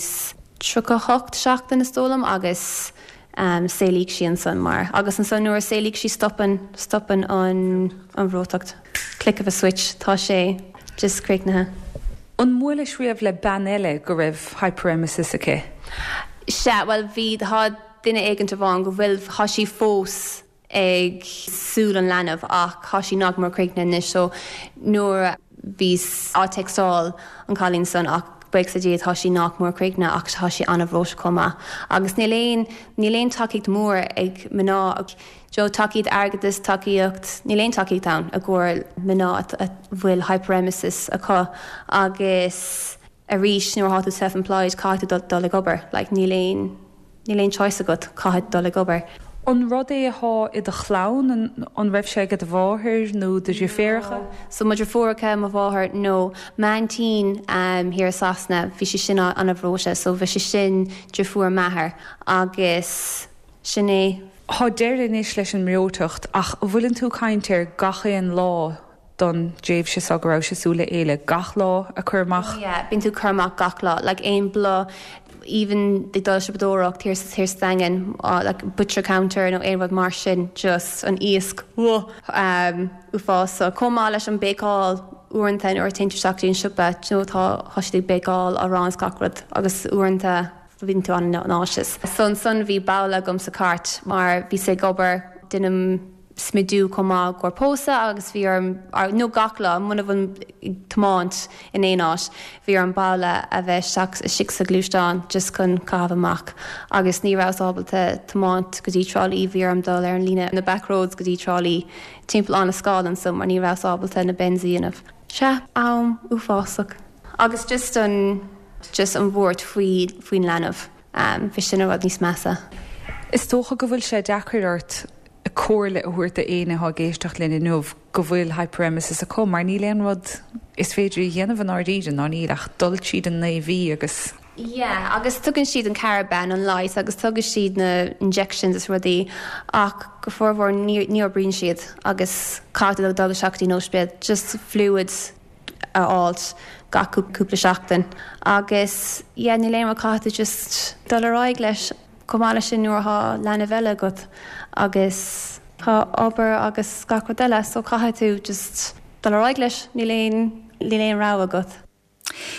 tríocha hocht seachtain is dóigh liom agus um, saolaíodh sí ansan mar. Agus ansan nuair a saolaíodh sí stopann stopann an an bhreoiteacht. Click of a switch tá sé just críochnaithe.
An mbuailis riamh le bean eile go raibh hyperemesis aici?
Sea, well bhí tá duine éigin amháin go bhfuil tá sí fós ag súil an leanbh ach tá sí nach mór críochnaithe anois so nuair bhíos á textáil an cailín san ach buíochas le Dia tá sí nach mór críochnaithe ach tá sí an-bhreoite chomh maith. Agus níl aon níl aon tacaíocht mór ag mná Jo tacaíocht airgeadais tacaíocht níl aon tacaíocht ann i gcomhair mná a bhfuil hyperemesis acu agus arís nuair atá tú self-employed caithfidh tú dul ag obair, like níl aon níl aon choice agat caithfidh dul ag obair.
An rud é atá i do chlann an raibh sé ag do mháthair nó do dheirfiúracha?
So mo dheirfiúracha mo mháthair nó m'aintín um, thiar i Sasana bhí sí sin an-bhreoite, so bhí sí sin deirfiúr m'athar agus sin é.
Tá deireadh anois leis an mbreoiteacht ach bhfuileann tú caint ar gach aon lá don dtréimhse seo go raibh sé súil le Éile gach lá a chur amach?
Oh, yeah, bíonn tú cur amach gach lá, like aon bhla even ag dul siopadóireacht thiar sa thiar sa Daingean uh, like butcher counter nó aon rud mar sin just an iasc um, uafásach. Chomh maith leis an béicáil uaireanta nuair a théann tú isteach dtí an siopa nó tá tá siad ag béicáil arán is gach rud agus uaireanta bíonn tú an-nauseous. So ansan bhí babhla agam sa cairt mar bhíos ag obair déanaim smidiú chomh maith i gcomhair pósadh agus bhí orm nó gach lá muna bhfuil ag tiomáint in aon áit bhí orm babhla a bheith isteach istigh sa ghluaisteán just chun caitheamh amach agus ní rabhas ábalta tiomáint go dtí Trá Lí bhí orm dul ar an líne na back roads go dtí Trá Lí timpeall an scálan so mar ní rabhas ábalta na bends a dhéanamh. Sea am uafásach. Agus just an just an bhuairt faoi faoin leanbh um, bhí sin rud níos measa.
Is dócha go bhfuil sé deacair ort comhairle a thabhairt d'éinne atá ag éisteacht linn inniu go bhfuil hyperemesis acu mar níl aon rud is féidir a dhéanamh an áiríre ná níl ach dul tríd an naoi mhí agus
Yeah, agus tugann siad an caraban an light agus tugann siad na injections is rudaí ach go formhór ní oibríonn siad agus caithfidh dul isteach dtí an ospidéal just fluids a fháilt gach cúpla seachtain agus yeah, níl aon rud caithfidh just dul ar aghaidh leis chomh maith leis sin nuair atá leanbh eile agat agus tá obair agus gach rud eile so caithfidh tú just dul ar aghaidh leis níl aon níl aon rogha agat.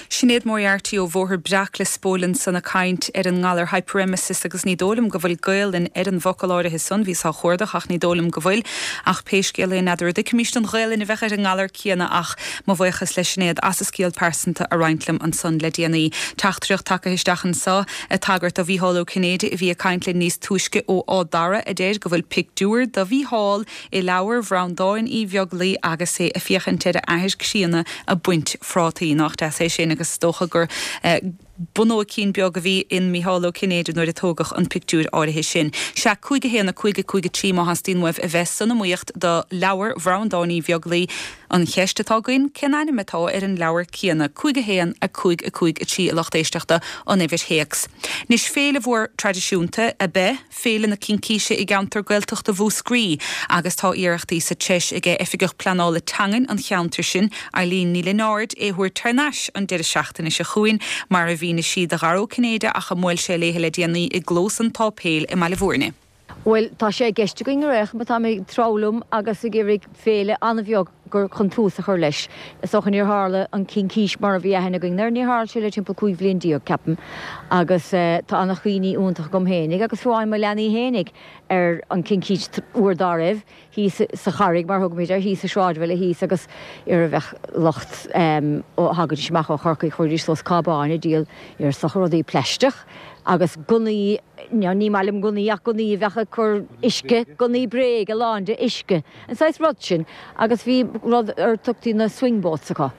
Sinéad Moriarty ó Bhóthar Breac Lios Póil ansan ag caint ar an ngalar hyperemesis agus ní dóigh liom go bhfuil Gaelainn ar an bhfocal áirithe san bhíos á chuardach ach ní dóigh liom go bhfuil ach pé scéal é n'fheadar an dtuigfimis an Ghaelainn a bheadh ar an ngalar céanna ach mo bhuíochas le Sinéad as a scéal pearsanta a roinnt liom ansan le déanaí. Teachtaireacht tagtha isteach anseo ag tagairt do Mhícheál Ó Cinnéide a bhí ag caint linn níos túisce ó Áth Dara a deir go bhfuil pictiúr de Mhícheál i leabhar Bhreandáin Uí Bheaglaoi agus é ag féachaint ar a athair críonna ag baint phrátaí nach deas é sin agus dócha gur eh, bunóicín beag a bhí in Mícheál Ó Cinnéide nuair a tógadh an pictiúr áirithe sin. Sé cúig a haon a cúig a cúig a trí má theastaíonn uaibh a bheith san iomaíocht do leabhar Bhreandáin Uí Bheaglaoi An cheist atá againn cén ainm atá ar an leabhar céanna cúig a haon a cúig a cúig a trí a lucht éisteachta an uimhir théacs. Anois féile mhór traidisiúnta ab ea Féile na Cincíse i gceantar Gaeltachta Mhúscraí agus tá iarrachtaí sa treis aige Oifigeach Pleanála Teangan an cheantair sin, Eileen Ní Lionáird, é a thabhairt thar n-ais an deireadh seachtaine seo chugainn, mar a mhínigh sí do Dhara Ó Cinnéide ach a mbuail sé léi le déanaí i gclós an tSáipéil i mBaile Bhúirne.
Bhuel, tá sé i gceist againn ar aon chuma, tá mé ag treabhadh liom agus ag iarraidh féile an-bheag gur chun tús a chur leis. Is dócha níor tharla an Chincís mar a bhí aithne againn air, níor tharla sé le timpeall cúig bhliain déag, ceapaim, agus tá an-chuimhní iontach agam fhéinig agus fiú amháin mo leanaí fhéinig ar an Chincís uair dá raibh, thíos sa Charraig mar a thugaimid air, thíos sa sráidbhaile thíos agus ar a bheadh lucht ó thagaidís amach ó Chorcaigh chuiridís suas cábáin ag díol ar is dócha rudaí plaisteach agus gunnaí, ní maith liom gunnaí ach gunnaí a bheadh ag cur uisce, gunnaí bréige lán de uisce, an saghas rud sin agus bhí rud ar tugtaí na swing boats acu.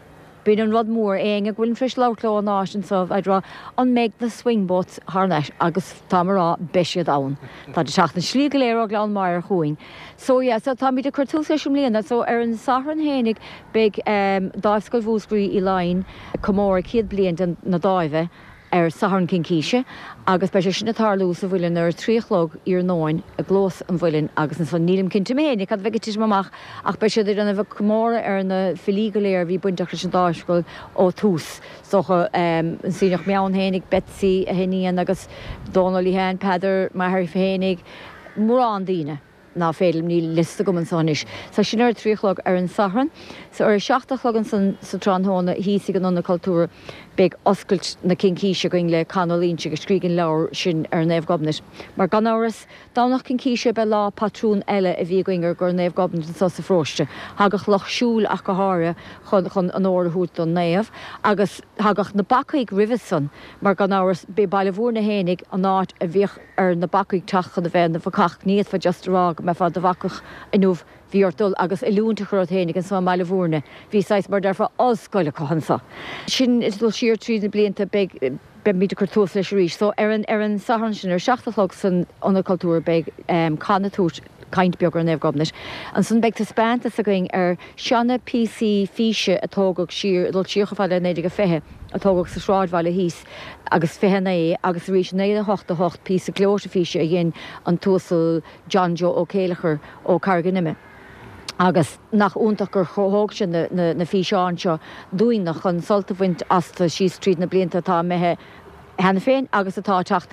B'in an rud mór, éinne go bhfuilim tar éis labhairt leo an áit anso ag rá an mbeidh na swing boats thar n-ais agus táim a rá beidh siad ann. Táid ag teacht an slí go léir ó Ghleann Maghair chugainn. So yeah, so táimid ag cur tús leis i mbliana. So ar an Satharn fhéinig beidh Dáimhscoil Mhúscraí Uí Laighin ag comóradh céad bliain de na Dáimhe ar Satharn Cincíse agus beidh sé sin ag tarlú sa Mhuileann ar a trí a chlog iarnóin i gclós an Mhuilinn agus ansan nílim cinnte mé fhéinig cad a bheidh ag titim amach ach beidh siad ag déanamh comóradh ar na filí go léir a bhí bainteach leis an Dáimhscoil ó tús. Is dócha an Sionnach Meann fhéinig, Betsy, a hiníon agus Dónal Lehane, Peadar, m'athair fhéinig, mórán daoine. ná féidir liom, níl liosta agam anso anois. So sin ar a trí a chlog ar an Satharn. So ar a seacht a chlog ansan sa tráthnóna thíos ag an Ionad Cultúrtha beidh oscailt na Cincíse againn le Con Ó Loingsigh a scrígh an leabhar sin ar Naomh Gobnait. Mar gan amhras, Domhnach Cincíse ab ea lá patrún eile a bhí againn ar gor Naomh Gobnait anso sa pharóiste. Thagadh lucht siúil ach go háirithe chun chun onóir a thabhairt don naomh agus thagadh na bacaigh roimhe san mar gan amhras b'é Baile Bhúirne fhéinig an áit a bhíodh ar na bacaigh teacht chun a bheith ina bhacach. Ní fhéadfá just a rá go mbeifeá i do bhacach inniu, bhí ort dul agus oiliúint a chur ort fhéinig anso i mBaile Bhúirne. Bhí saghas, mar a déarfá, ollscoil acu anso. Sin ag dul siar tríd na blianta, beidh, beimid ag cur tús leis arís. So ar an, ar an Satharn sin ar a seacht a chlog san Ionad Cultúrtha beidh Con ag tabhairt caint beag ar Naomh Gobnait. Ansan beidh taispeántas againn ar seana píosaí físe a tógadh siar, ag dul siar chomh fada le naoi déag a fiche, a tógadh sa sráidbhaile thíos agus fiche a naoi agus arís naoi a hocht a hocht píosa gleoite físe a dhein an tUasal John Joe Ó Céileachair ó Carraig an Ime. Agus nach iontach gur thóg sé na na físeáin seo dúinne chun sult a bhaint astu síos tríd na blianta atá imithe cheana féin agus atá ag teacht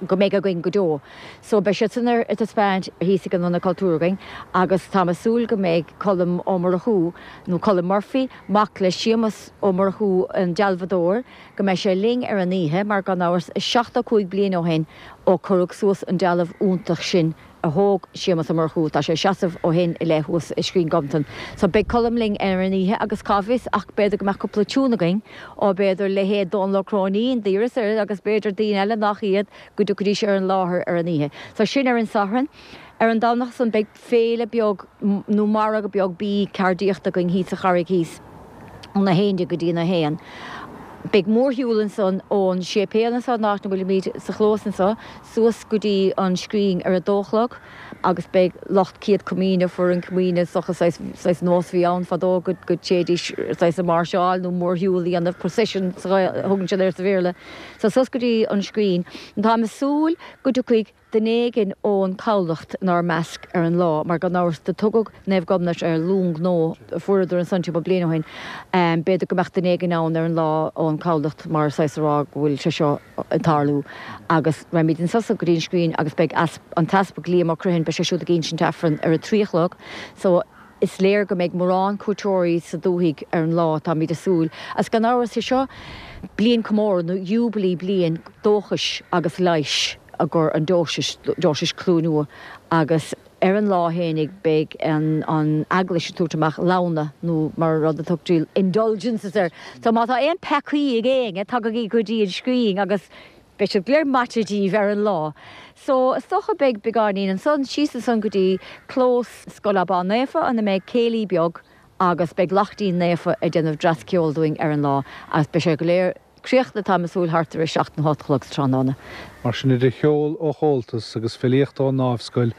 go mbeidh againn go deo. So beidh siad san ar taispeáint thíos ag an Ionad Cultúrtha againn agus táim ag súil go mbeidh Colm Ó Murchú, nó Colm Murphy, mac le Séamus Ó Murchú an dealbhadóir, go mbeidh sé linn ar an oíche mar gan amhras is seachtó cúig bliain ó shin ó cuireadh suas an dealbh iontach sin a thóg Séamus Ó Murchú, tá sé ag seasamh ó shin i leith thuas i Scrín Ghobnatan. So beidh Colm linn ar an oíche agus cá bhfios ach b'fhéidir go mbeadh cúpla tiún againn ó b'fhéidir leithéid Dónal Ó Cróinín, d'iarras air agus b'fhéidir daoine eile nach iad go dtiocfaidís ar an láthair ar an oíche. So sin ar an Satharn. Ar an Domhnach san beidh féile beag nó margadh beag bídh ceardaíochta againn thíos sa Charraig thíos óna haon déag go dtí a haon. Beidh mórshiúl ansan ón séipéal anso, an áit ina bhfuilimid sa chlós anso, suas go dtí an scrín ar a dó a chlog agus beidh lucht Céad Comaoine, foireann Comaoine, is dócha, saghas, saghas nós a bhí ann fadó go, go dtéidís saghas ag máirseáil nó mórshiúl a dhéanamh, procession sa Ghael, a thugann siad air sa Bhéarla. So suas go dtí an scrín. Táim ag súil go dtiocfaidh duine éigin ón Comhlacht inár measc ar an lá, mar gan amhras do tugadh Naomh Gobnait ar long gnó a fuaireadar ansan timpeall bliain ó shin. B'fhéidir go mbeadh duine éigin ann ar an lá ón Comhlacht mar saghas a rá go bhfuil sé seo ag tarlú. Agus raghaimid anso go dtí an scrín agus beidh an tEaspag Liam Ó Criomhthain, beidh sé siúd ag insint Aifreann ar a trí a chlog. So. Is léir go mbeidh mórán cuairteoirí sa dúthaigh ar an lá, táimid ag súil. Agus gan amhras, sé seo bliain comóradh nó jubilee bliain dóchais agus leighis i gcomhair an deoise, deoise Chluain Ua, agus ar an lá fhéinig beidh an an Eaglais ag tabhairt amach lamhna nó mar rud a tugtaí indulgences air. So má tá aon peacaí ag éinne, tagaigí go dtí an scrín agus Beidh siad go léir maite díbh ar an lá. So, is dócha beidh beagáinín ansan, síos ansan go dtí clós Scoil Abbán Naofa ina mbeidh céilí beag agus beidh Laichtín Naofa ag déanamh dreas ceoil dúinn ar an lá agus beidh sé go léir críochnaithe táim ag súil thart ar a seacht nó a hocht a chlog sa tráthnóna.
Mar sin idir cheol ó Chomhaltas agus filíocht ón nDámhscoil,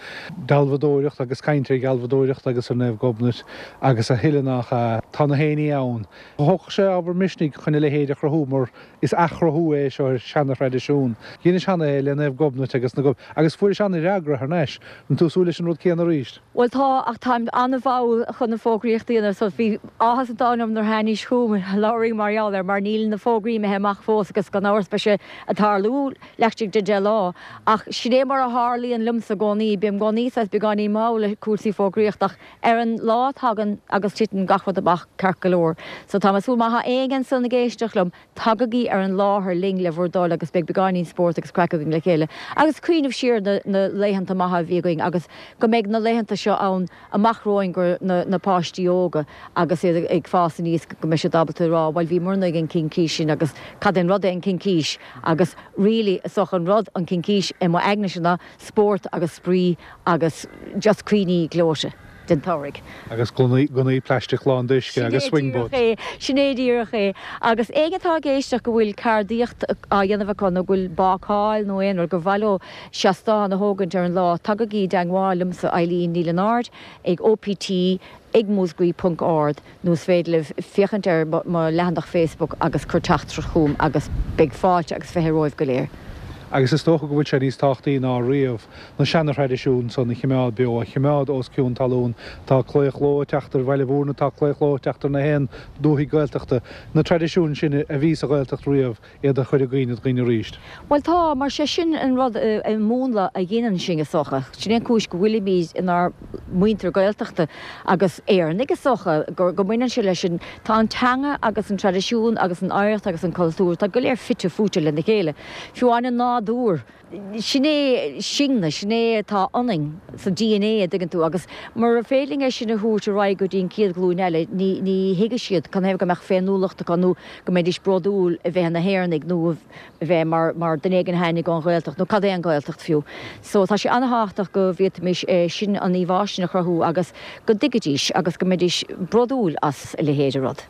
dealbhadóireacht agus caint ar dhealbhadóireacht agus ar Naomh Gobnait agus a thuilleadh nach ea, tá na héinní ann. Thógfadh sé ábhar misnigh chun a leithéid a chruthú mar is athchruthú é seo ar seana-thraidisiún. Dheinis cheana é le Naomh Gobnait agus na agus fuairis an-fhreagra thar n-ais. An tú ag súil leis an rud céanna arís?
Bhuel tá, ach táim an-mhall chun na fógraíochta a dhéanamh so bhí áthas an domhain orm nuair tháinís chugam labhraí mar gheall air mar níl na fógraí imithe amach fós agus gan amhras beidh sé ag tarlú laistigh de deich lá. Ach sin é mar a tharlaíonn liomsa i gcónaí, bím i gcónaí saghas beagáinín mall le cúrsaí fógraíochta ach ar an lá tagann agus titeann gach rud amach ceart go leor. So tá mé ag súil má tá éinne ansan ag éisteacht liom, tagaigí ar an láthair linn le bhur dtoil agus beidh beagáinín spóirt agus craic againn le chéile agus cuimhneamh siar na na laethanta maithe a bhí againn agus go mbeidh na laethanta seo ann amach romhainn go na na páistí óga agus iad ag fás aníos go mbeidh siad ábalta a rá bhuel bhíomarna ag an Chincís sin agus cad é an rud é an Chincís agus really is dócha an rud an Chincís i mo aignese ná spórt agus spraoi agus just cuimhní gleoite den tsamhraidh.
Agus gunnaí plaisteach lán d'uisce agus swing boats.
Sin é díreach é. Agus éinne atá ag éisteacht go bhfuil ceardaíocht á dhéanamh acu nó go bhfuil bácáil nó aon rud gur mhaith leo seastán a thógaint ar an lá, tagaigí i dteangmháil liomsa, Eileen Ní Lionáird, ag OPT ag múscraí ponc org nó is féidir libh féachaint ar mo leathanach Facebook agus cur teachtaireacht chugam agus beidh fáilte agus fiche romhaibh go léir.
Agus is dócha go bhfuil sé níos tábhachtaí ná riamh na seana-thraidisiúin san a chimeád beo, a chimeád os cionn talún. Tá claochló ag teacht ar Bhaile Mhúirne, tá claochló ag teacht ar na haon dúthaigh Gaeltachta. Na traidisiúin sin a bhí sa Ghaeltacht riamh, iad a chur i gcuimhne do dhaoine arís.
Bhuel tá, mar sé sin an rud, an múnla a dhéanann sinn is dócha. Sin é an cúis go bhfuilimid inár muintir Gaeltachta agus Éireannaigh is dócha, go mbaineann sé leis sin. Tá an teanga agus an traidisiún agus an oidhreacht agus an cultúr, tá go léir fite fuaite lena chéile. Fiú amháin an nádúr, sin é sinne, sin é atá ionainn sa DNA, a dtuigeann tú, agus mura féidir linn é sin a thabhairt ar aghaidh go dtí an chéad ghlúin eile, ní ní thuigfidh siad canathaobh go mbeadh féiniúlacht acu nó go mbeidís bródúil a bheith ina hÉireannaigh nó a bheith mar mar duine éigin a tháinig ón Ghaeltacht nó cad é an Ghaeltacht fiú. So tá sé an-thábhachtach go bhféadfaimis é sin, an íomhá sin a chruthú agus go dtuigfidís agus go mbeidís bródúil as a leithéid de rud.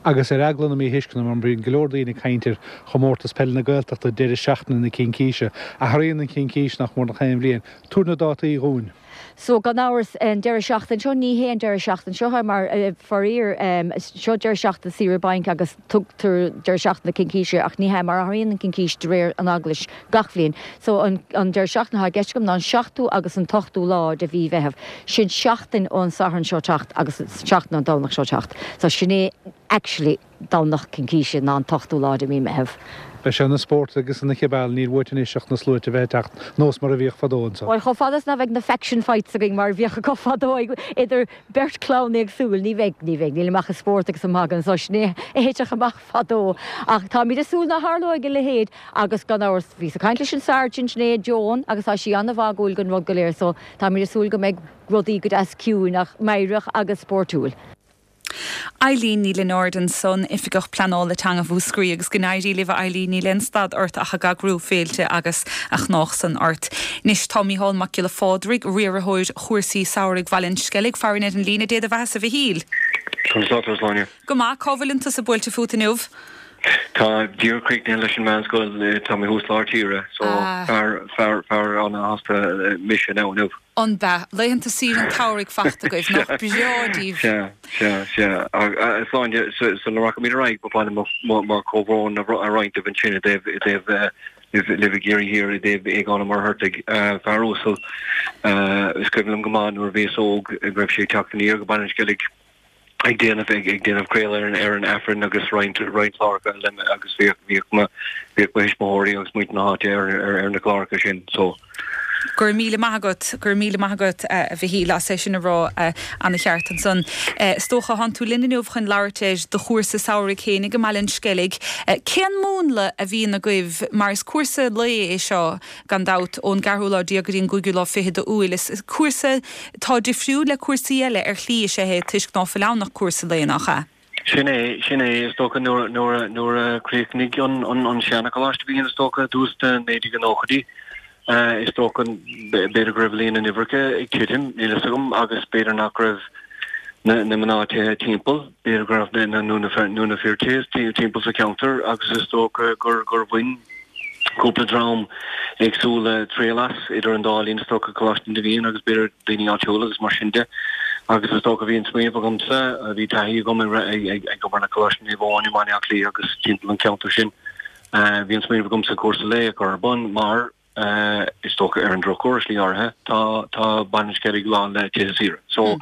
Agus ar eagla na míthuisceana, mar bíonn go leor daoine ag caint ar Chomórtas Peile na Gaeltachta deireadh seachtaine na Cincíse, athraíonn an Chincís nach mór nach aon bhliain. Tabhair na dátaí dhúinn.
So, gan amhras, an deireadh seachtaine seo, ní hé an deireadh seachtaine seo é mar, faraor, seo deireadh seachtaine saoire bainc agus tugtar deireadh seachtaine na Cincíse ach ní hea mar athraíonn an Chincís de réir an Eaglais gach bhliain. So, an deireadh seachtaine atá i gceist agam ná an seachtú agus an t-ochtú lá de mhí Mheitheamh. Sin seachtain ón Satharn seo teacht agus seachtain ón Domhnach seo teacht. So, sin é actually Domhnach Cincíse ná an t-ochtú lá de mhí Meitheamh.
Beidh sé ina spórt agus ina chibeal, níl uait anois ach na sluaite a bheith ag teacht, nós mar a bhíodh fadó anso.
Bhuel, chomh fada is ná bheidh na faction fights againn mar a bhíodh acu fadó idir beirt chlann éagsúil, ní bheidh, ní bheidh, nílim ach ag spórt agus ag magadh anso, sin é a thitfeadh amach fadó. Ach táimid ag súil ná tharlóidh a leithéid agus gan amhras, bhíos ag caint leis an Sergeant inné, Joan, agus tá sí an-mhagúil den rud go léir so táimid ag súil go mbeidh rudaí go deas ciúin ach meidhreach agus spórtúil.
Eileen Ní Lionáird ansan, Oifigeach Pleanála Teanga Mhúscraí agus go n-éirí libh a Eileen, níl aon stad ort ach ag eagrú féilte agus a chnách san ort. Anois tá Mícheál Mac Giolla Phádraig, riarthóir chúrsaí samhraidh Bhaile an Sceilg, farainn ar an líne. Dé do bheatha-sa a Mhichíl.
Conas tá tú, a Shláine?
Go maith, cá bhfuileann tusa buailte fút inniu?
Tá díreach críochnaithe leis an meánscoil, tá mé thuas lár tíre, so fear, fear, fear an-shásta mise now inniu.
An b'ea? Laethanta saoire an tsamhraidh fachta agaibh, nach breá daoibh?
Sea, sea, sea. A Shláine, sula rachaimid ar aghaidh, ba mhaith liom mo chomhbhrón a roinnt libh ansin i dtaobh, i dtaobh libh, libh i gCiarraí Thiar, i dtaobh Aogán Ó Muircheartaigh, fear uasal. Is cuimhin liom go maith nuair a bhíos óg go raibh sé ag teacht aniar go Baile an Sceilg, ag déanamh ag déanamh craoladh ar an ar an Aifreann agus roinnt roinnt cláracha eile agus bhíodh bhíodh mo bhíodh mo thuismitheoirí agus muintir na háite ar ar ar na cláracha sin so.
Go raibh míle maith agat, go raibh míle maith agat a Mhichíl as é sin a rá ana cheart ansan. Is dócha thánn tú linn inniu chun labhairt ar do chúrsa samhraidh féinig i mBaile an Sceilg. Cén múnla a bhíonn agaibh mar is cúrsa lae é seo gan dabht ón gceathrú lá déag go dtí an gcúigiú lá fichead d'Iúil. Is cúrsa atá difriúil le cúrsaí eile ar shlí is ea é toisc ná fuil ann ach cúrsa lae, nach ea?
Sin é, sin é. Is dócha nuair, nuair a, nuair a chríochnaigh an, an, an seana-choláiste a bhí ann is dócha i dtús na naoi déag nóchaidí, is dócha b'fhéidir go raibh líon na n-uimhreacha ag titim, níl fhios agam, agus b'fhéidir nach raibh na, na mná tithe timpeall, b'fhéidir go raibh na, nó na, nó na fir tithe timpeall sa cheantar agus is dócha gur, gur bhain cúpla dream éagsúla triail as idir an dá linn is dócha Coláiste na bhFiann agus b'fhéidir daoine áitiúla agus mar sin de. Agus is dócha bhí an smaoineamh agamsa, bhí taithí agam ag ag obair le Coláiste Naomh Eoin i mBaile Átha Cliath agus timpeall an cheantair sin. Bhí an smaoineamh agamsa cúrsa lae a chur ar bun mar is dócha ar an drochuair i slí áirithe tá tá Baile an Sceilg lán le tithe saoire. So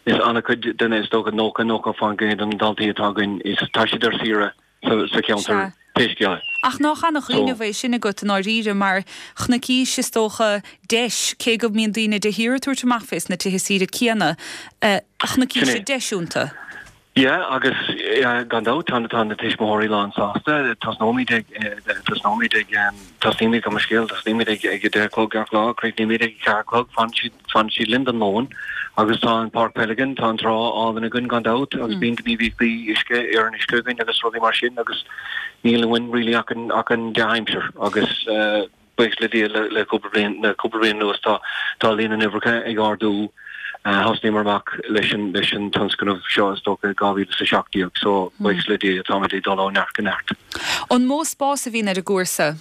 is an-chuid de na is dócha nócha nócha faoin gcéad de na daltaí atá againn is tá siad ar saoire sa cheantar pé scéal é.
Ach nach ana-chuimhneamh é sin agat i ndáiríre mar chonaicís is dócha deis, cé go mbíonn daoine de shíor ag tabhairt amach fés na tithe saoire céanna, chonaicís deis iontu.
Yeah agus gan dabht tá tá na tuismitheoirí lán sásta. Tosnóimid ag tosnóimid ag tosnaímid gabh mo leithscéal tosnaímid ag ag a deich a chlog gach lá, críochnaímid ag a ceathair a chlog, fanann siad fanann siad linn don lón agus tá an páirc peile againn, tá an trá álainn againn gan dabht agus bíonn gníomhaíochtaí uisce ar an uisce againn agus rudaí mar sin agus níl uainn really ach an ach an dea-aimsir agus buíochas le Dia le cúpla bliain le cúpla bliain anuas tá tá líon na n-uimhreacha ag ardú. Thosnaíomar amach leis an leis an tionscnamh seo is dócha i dhá mhíle is a seacht déag so buíochas le Dia táimid ag dul ó neart go neart.
An mó spás a bhíonn ar an gcúrsa?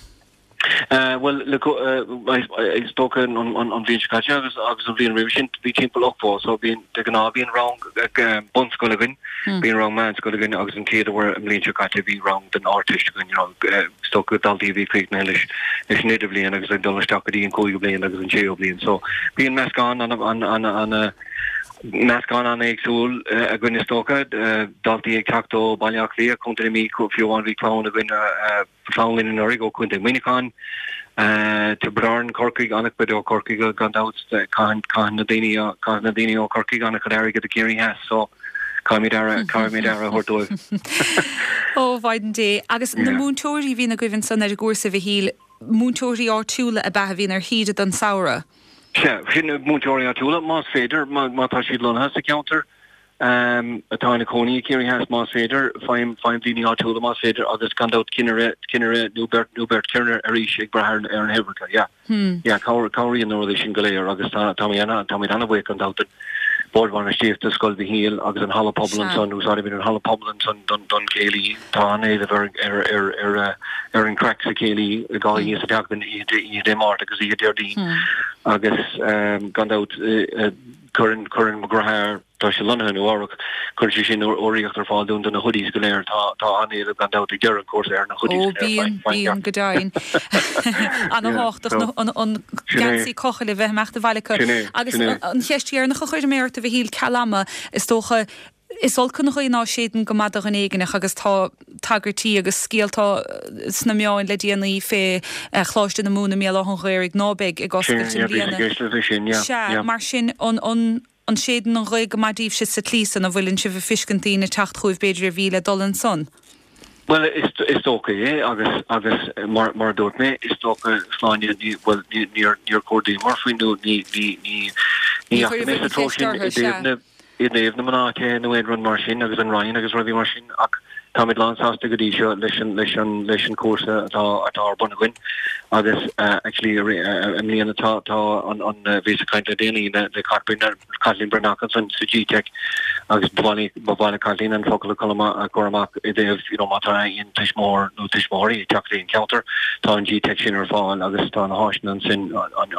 Bhuel is dócha an bhliain seo caite agus agus an bhliain roimhe sin bhí timpeall ochtó so bíonn de ghnáth bíonn rang bunscoile againn, bíonn rang meánscoile againn agus an chéad uair an bhliain seo caite bhí rang den Ardteist againn you know is dócha daltaí a bhí críochnaithe leis leis an idirbhliain agus ag dul isteach go dtí an cúigiú bliain agus an séú bliain so bíonn meascán an an an an meascán an-éagsúil againn is dócha, daltaí ag teacht ó Baile Átha Cliath, Contae na Mí, fiú amháin bhí clann againn clann linn anuraidh ó Chontae Mhuineacháin, Tiobraid Árann, Corcaigh, an-chuid ó Chorcaigh gan dabht, caitheann caitheann na daoine caitheann na daoine ó Chorcaigh an-chuid airgid i gCiarraí Theas so caithfimid aire caithfimid aire a thabhairt dóibh.
Ó, Mhaighdean Dé. Agus na múinteoirí a bhíonn agaibh ansan ar an gcúrsa, a Mhichíl, múinteoirí áitiúla ab ea a bhíonn ar shaoire don samhradh?
Sea, sin múinteoirí áitiúla, más féidir, má tá siad lonnaithe sa cheantar, atá ina cónaí i gCiarraí Theas, más féidir, faighim, faighim daoine áitiúla, más féidir, agus gan dabht cinnire, cinnire nó beirt, nó beirt chinnire arís ag brath ar, ar na huimhreacha, yeah. Yeah, cabhraíonn na rudaí sin go léir agus tá, táimid ana, táimid ana-bhuíoch gan dabht don Bhord Bainistíochta, Scoil Mhichíl agus an Halla Pobail ansan, úsáidimid an Halla Pobail ansan don, don chéilí. Tá an-éileamh ar, ar, ar, ar, ar an craic sa chéilí, dhá oíche sa tseachtain, oíche, oíche Dé Máirt agus oíche Déardaoin agus gan dabht cuireann, cuireann mo dheartháir, tá sé lonnaithe i Nua Eabhrac, cuireann sé sin urraíocht ar fáil dúinn do na hoodies go léir. Tá, tá an-éileamh gan dabht ag deireadh an chúrsa ar na hoodies
go léir. Ó bíonn, bíonn go deimhin. Ana-thábhachtach an, an geansaí cochaill a bheith amach de bhaile acu. Agus an cheist dheireanach a chuirfidh mé ort, a Mhichíl, ceal ama, is dócha, Is olc an ghaoth ná séideann go maith do dhuine éigineach agus tá tagairtí agus scéalta sna meáin le déanaí fé Choláiste na Mumhan i mBéal Átha an Ghaorthaidh ná beidh ag oscailt i mbliana. Sea, mar sin, an an séideann an ghaoth go maith daoibhse sa tslí san, an bhfuileann sibh ag fiscint daoine teacht chugaibh b'fhéidir ar mhí le dul ansan?
Bhuel, is dócha é agus agus mar mar a dúirt mé, is dócha, Sláine, ní, bhuel, ní níor níor chuardaíomar faoi nó ní ní ní ní dheachaigh mé sa treo sin i dtaobh na i dtaobh na mná tithe nó aon rud mar sin agus an Roinn agus rudaí mar sin ach táimid lánsásta go dtí seo leis an leis an leis an chúrsa atá atá ar bun againn agus actually i mbliana tá tá an an bhíos ag caint le déanaí le le Caitlín Breathnach ansan sa G-Tech agus ba mhaith ba mhaith le Caitlín an focal a chur amach a chur amach i dtaobh you know má tá aon tuismitheoir nó tuismitheoirí ag teacht go dtí an ceantar tá an G-Tech sin ar fáil agus tá na háiseanna ansin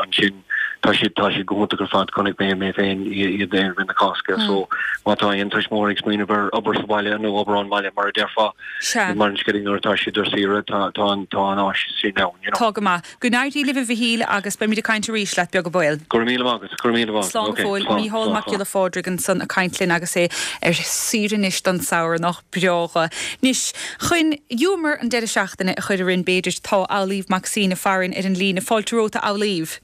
ansin Tá siad, tá siad go hiontach ar fad, chonaic mé mé féin iad i rith na Cásca so má tá aon tuismitheoir ag smaoineamh ar obair sa bhaile nó obair ón mbaile mar a déarfá, i mBaile an Sceilg nuair atá siad ar saoire, tá, tá an, tá an áis sin ann, you know.
Tá go maith. Go n-éirí libh a Mhichíl agus beimid ag caint arís leat beag an baol.
Go raibh míle maith agat, go raibh míle maith agat.
Slán go
Ok,
fóill.
slán,
Mícheál
slán,
Mac
slán.
Giolla Phádraig ansan ag caint linn agus é ar saoire anois don samhradh, nach breá dho. Anois, chun giúmar an deireadh seachtaine a chur orainn b'fhéidir, tá Amhlaoibh Mac Suibhne farainn ar an líne. Fáilte romhat a Amhlaoibh.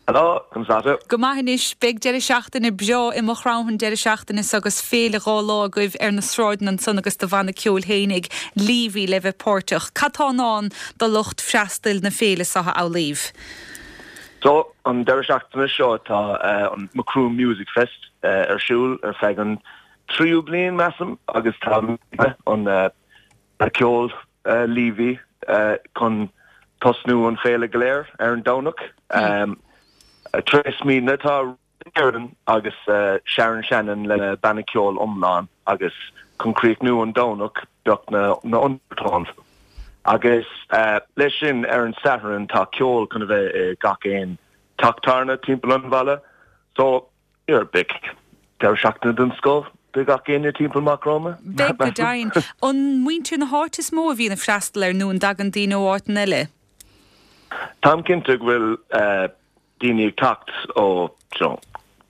Hello, conas tá tú?
Go maith anois, beidh deireadh seachtaine breá i Maigh Chromtha an deireadh seachtaine seo agus féile dhá lá agaibh ar na sráideanna ansan agus do bhanna ceoil fhéinig, Leavy, le bheith páirteach. Cad tá i ndán do lucht freastail na féile seo, a Amhlaoibh?
So, an deireadh seachtaine seo tá an Macroom Music Fest ar siúl ar feadh an tríú bliain, measaim, agus tá an banna ceoil Leavy chun tosnú an féile go léir ar an Domhnach. Tar éis Midhna tá Kiernan agus Sharon Shannon lena banna ceoil iomlán agus chun críochnú an Domhnach beidh na na Undertones. Agus leis sin ar an Satharn tá ceol chun a bheith i gach aon teach tábhairne timpeall an bhaile. So, yeah, beidh deireadh seachtaine den scoth do gach éinne timpeall Maigh Chromtha.
Beidh go deimhin. An muintir na háite is mó a bhíonn ag freastal air nó an dtagann daoine ó áiteanna eile?
Táim cinnte go bhfuil daoine ag teacht ó you know,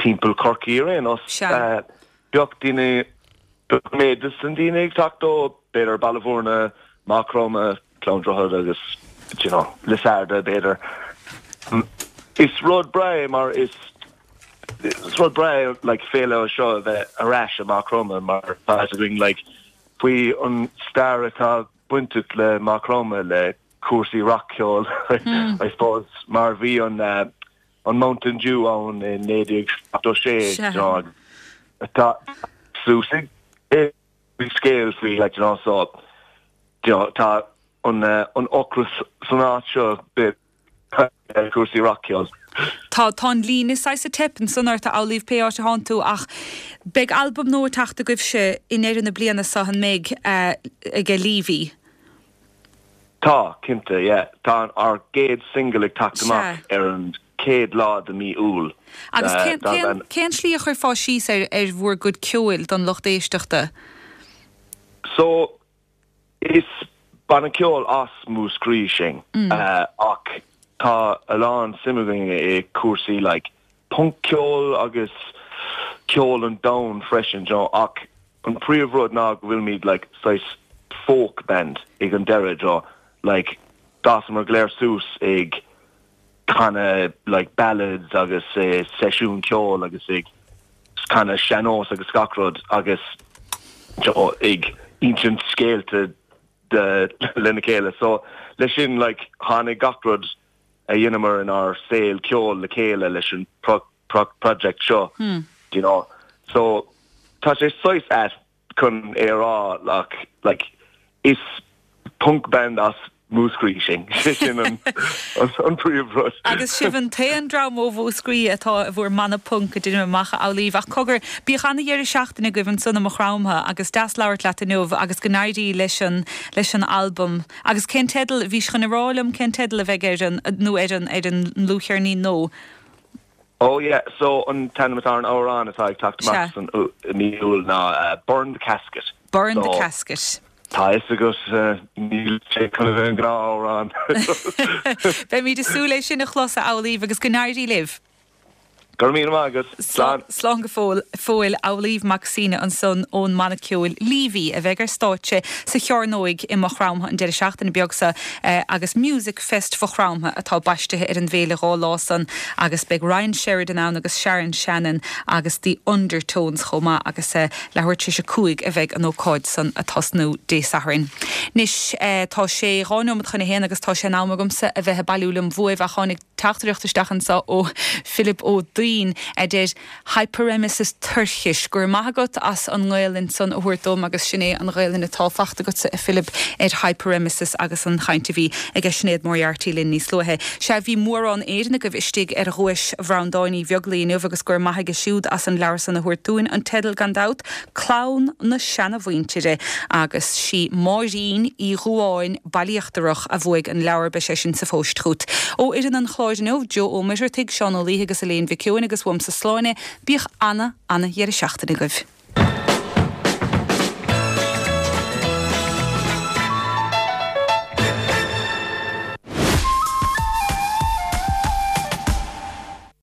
timpeall Chorcaí ar aon nós.
Sea.
Bheadh daoine, bheadh méid de na daoine ag teacht ó b'fhéidir Baile Bhúirne, Maigh Chromtha, Gleann Droichead agus you know, Lissarda b'fhéidir. Is rud breá é mar is is rud breá é like féile seo a bheith ar ais i Maigh Chromtha mar tá a fhios againn like faoi an stair atá bainteach le Maigh Chromtha le cúrsaí rac-cheoil I suppose mar bhí an uh, an Mountain Dew ann i naoi déag seachtó sé you know, tá suas ag scéal faoi like you know so you know, tá an uh, an ocras san áit seo bit cúrsaí rac-cheoil.
Tá tá an líne saghas ag teip ansan ort a Amhlaoibh pé áit a thánn tú ach beidh albam nua ag teacht agaibhse i ndeireadh na bliana seo an mbeidh ag Leavy.
Tá, cinnte, yeah. Tá ár gcéad single ag teacht amach ar an chéad lá de mí Iúil.
Agus cén slí a chuirfeá síos ar ar bhur gcuid ceoil don lucht éisteachta?
So, is banna ceoil as Múscraí sinn ach tá a lán suim againn i cúrsaí like punc-ceol agus ceol an domhain freisin, you know, ach an príomhrud ná go bhfuilimid like saghas folk band ag an deireadh, you know, like d'fhásamar go léir suas ag canadh like ballads agus eh, seisiún ceoil agus ag canadh sean-nós agus gach rud agus you know, ag insint scéalta de lena chéile. So leis sin like tháinig gach rud a dhéanamar inár saol ceoil le chéile leis an pro pro project seo.
Hmm.
You know? So tá sé saghas ait chun é a rá like, like is punk band as Múscraí sinn sin an an príomhrud.
Agus sibh an t-aon dream ó Mhúscraí atá i bhur mbanna punk a deinim amach a Amhlaoibh ach cogar bíodh ana-dheireadh seachtaine agaibh ansan i Maigh Chromtha agus deas labhairt leat inniu agus go n-éirí leis an leis an albam. Agus cén teideal bhís chun a rá liom cén teideal a bheidh ar an nó ar an ar an ndlúthcheirnín nó?
Oh yeah, so an t-ainm atá ar an amhrán atá ag teacht amach san mí Iúil ná uh, Burn the Casket.
Burn the Casket.
Tá fhios agat níl sé chun a bheith an gnáthamhrán.
Beimid ag súil é sin a chlos a Amhlaoibh agus go n-éirí libh.
Go raibh míle maith agat. Slán.
Slán go fóill fóill Amhlaoibh Mac Suibhne ansan ón mbanna ceoil Leavy a bheidh ar stáitse sa Chearnóig i Maigh Chromtha an deireadh seachtaine beag seo agus Music Fest Mhaigh Chromtha atá baistithe ar an bhféile dhá lá san agus beidh Ryan Sheridan ann agus Sharon Shannon agus The Undertones chomh maith agus leathuair tar éis a cúig a bheidh an ócáid san ag tosnú Dé Sathairn. Anois tá sé dhá nóiméad chun a haon agus tá sé in am agamsa a bheith ag bailiú liom uaibh ach tháinig teachtaireacht isteach anseo ó Philip Ó Duinn a deir Hyperemesis toirchis. Go raibh maith agat as an nGaelainn san a thabhairt dom agus sin é an Ghaelainn atá fachta agatsa a Philip ar hyperemesis agus an chaint a bhí ag Sinéad Moriarty linn níos luaithe. Sea bhí mórán Éireannaigh istigh ar dhuais Bhreandáin Uí Bheaglaoich inniu agus go raibh maith aige siúd as an leabhar san a thabhairt dúinn an teideal gan dabht, Clann na Seanamhuintire agus sí Máirín Uí Dhubháin Baile Íochtarach a bhuaigh an leabhar beidh sé sin sa phost chugat. Ó fhoireann an chláir inniu, Joe Ó Muircheartaigh, Seán Ó Laoithe agus Elaine Mhic Eoin agus uaimse Sláine, bíodh ana ana dheireadh seachtaine agaibh.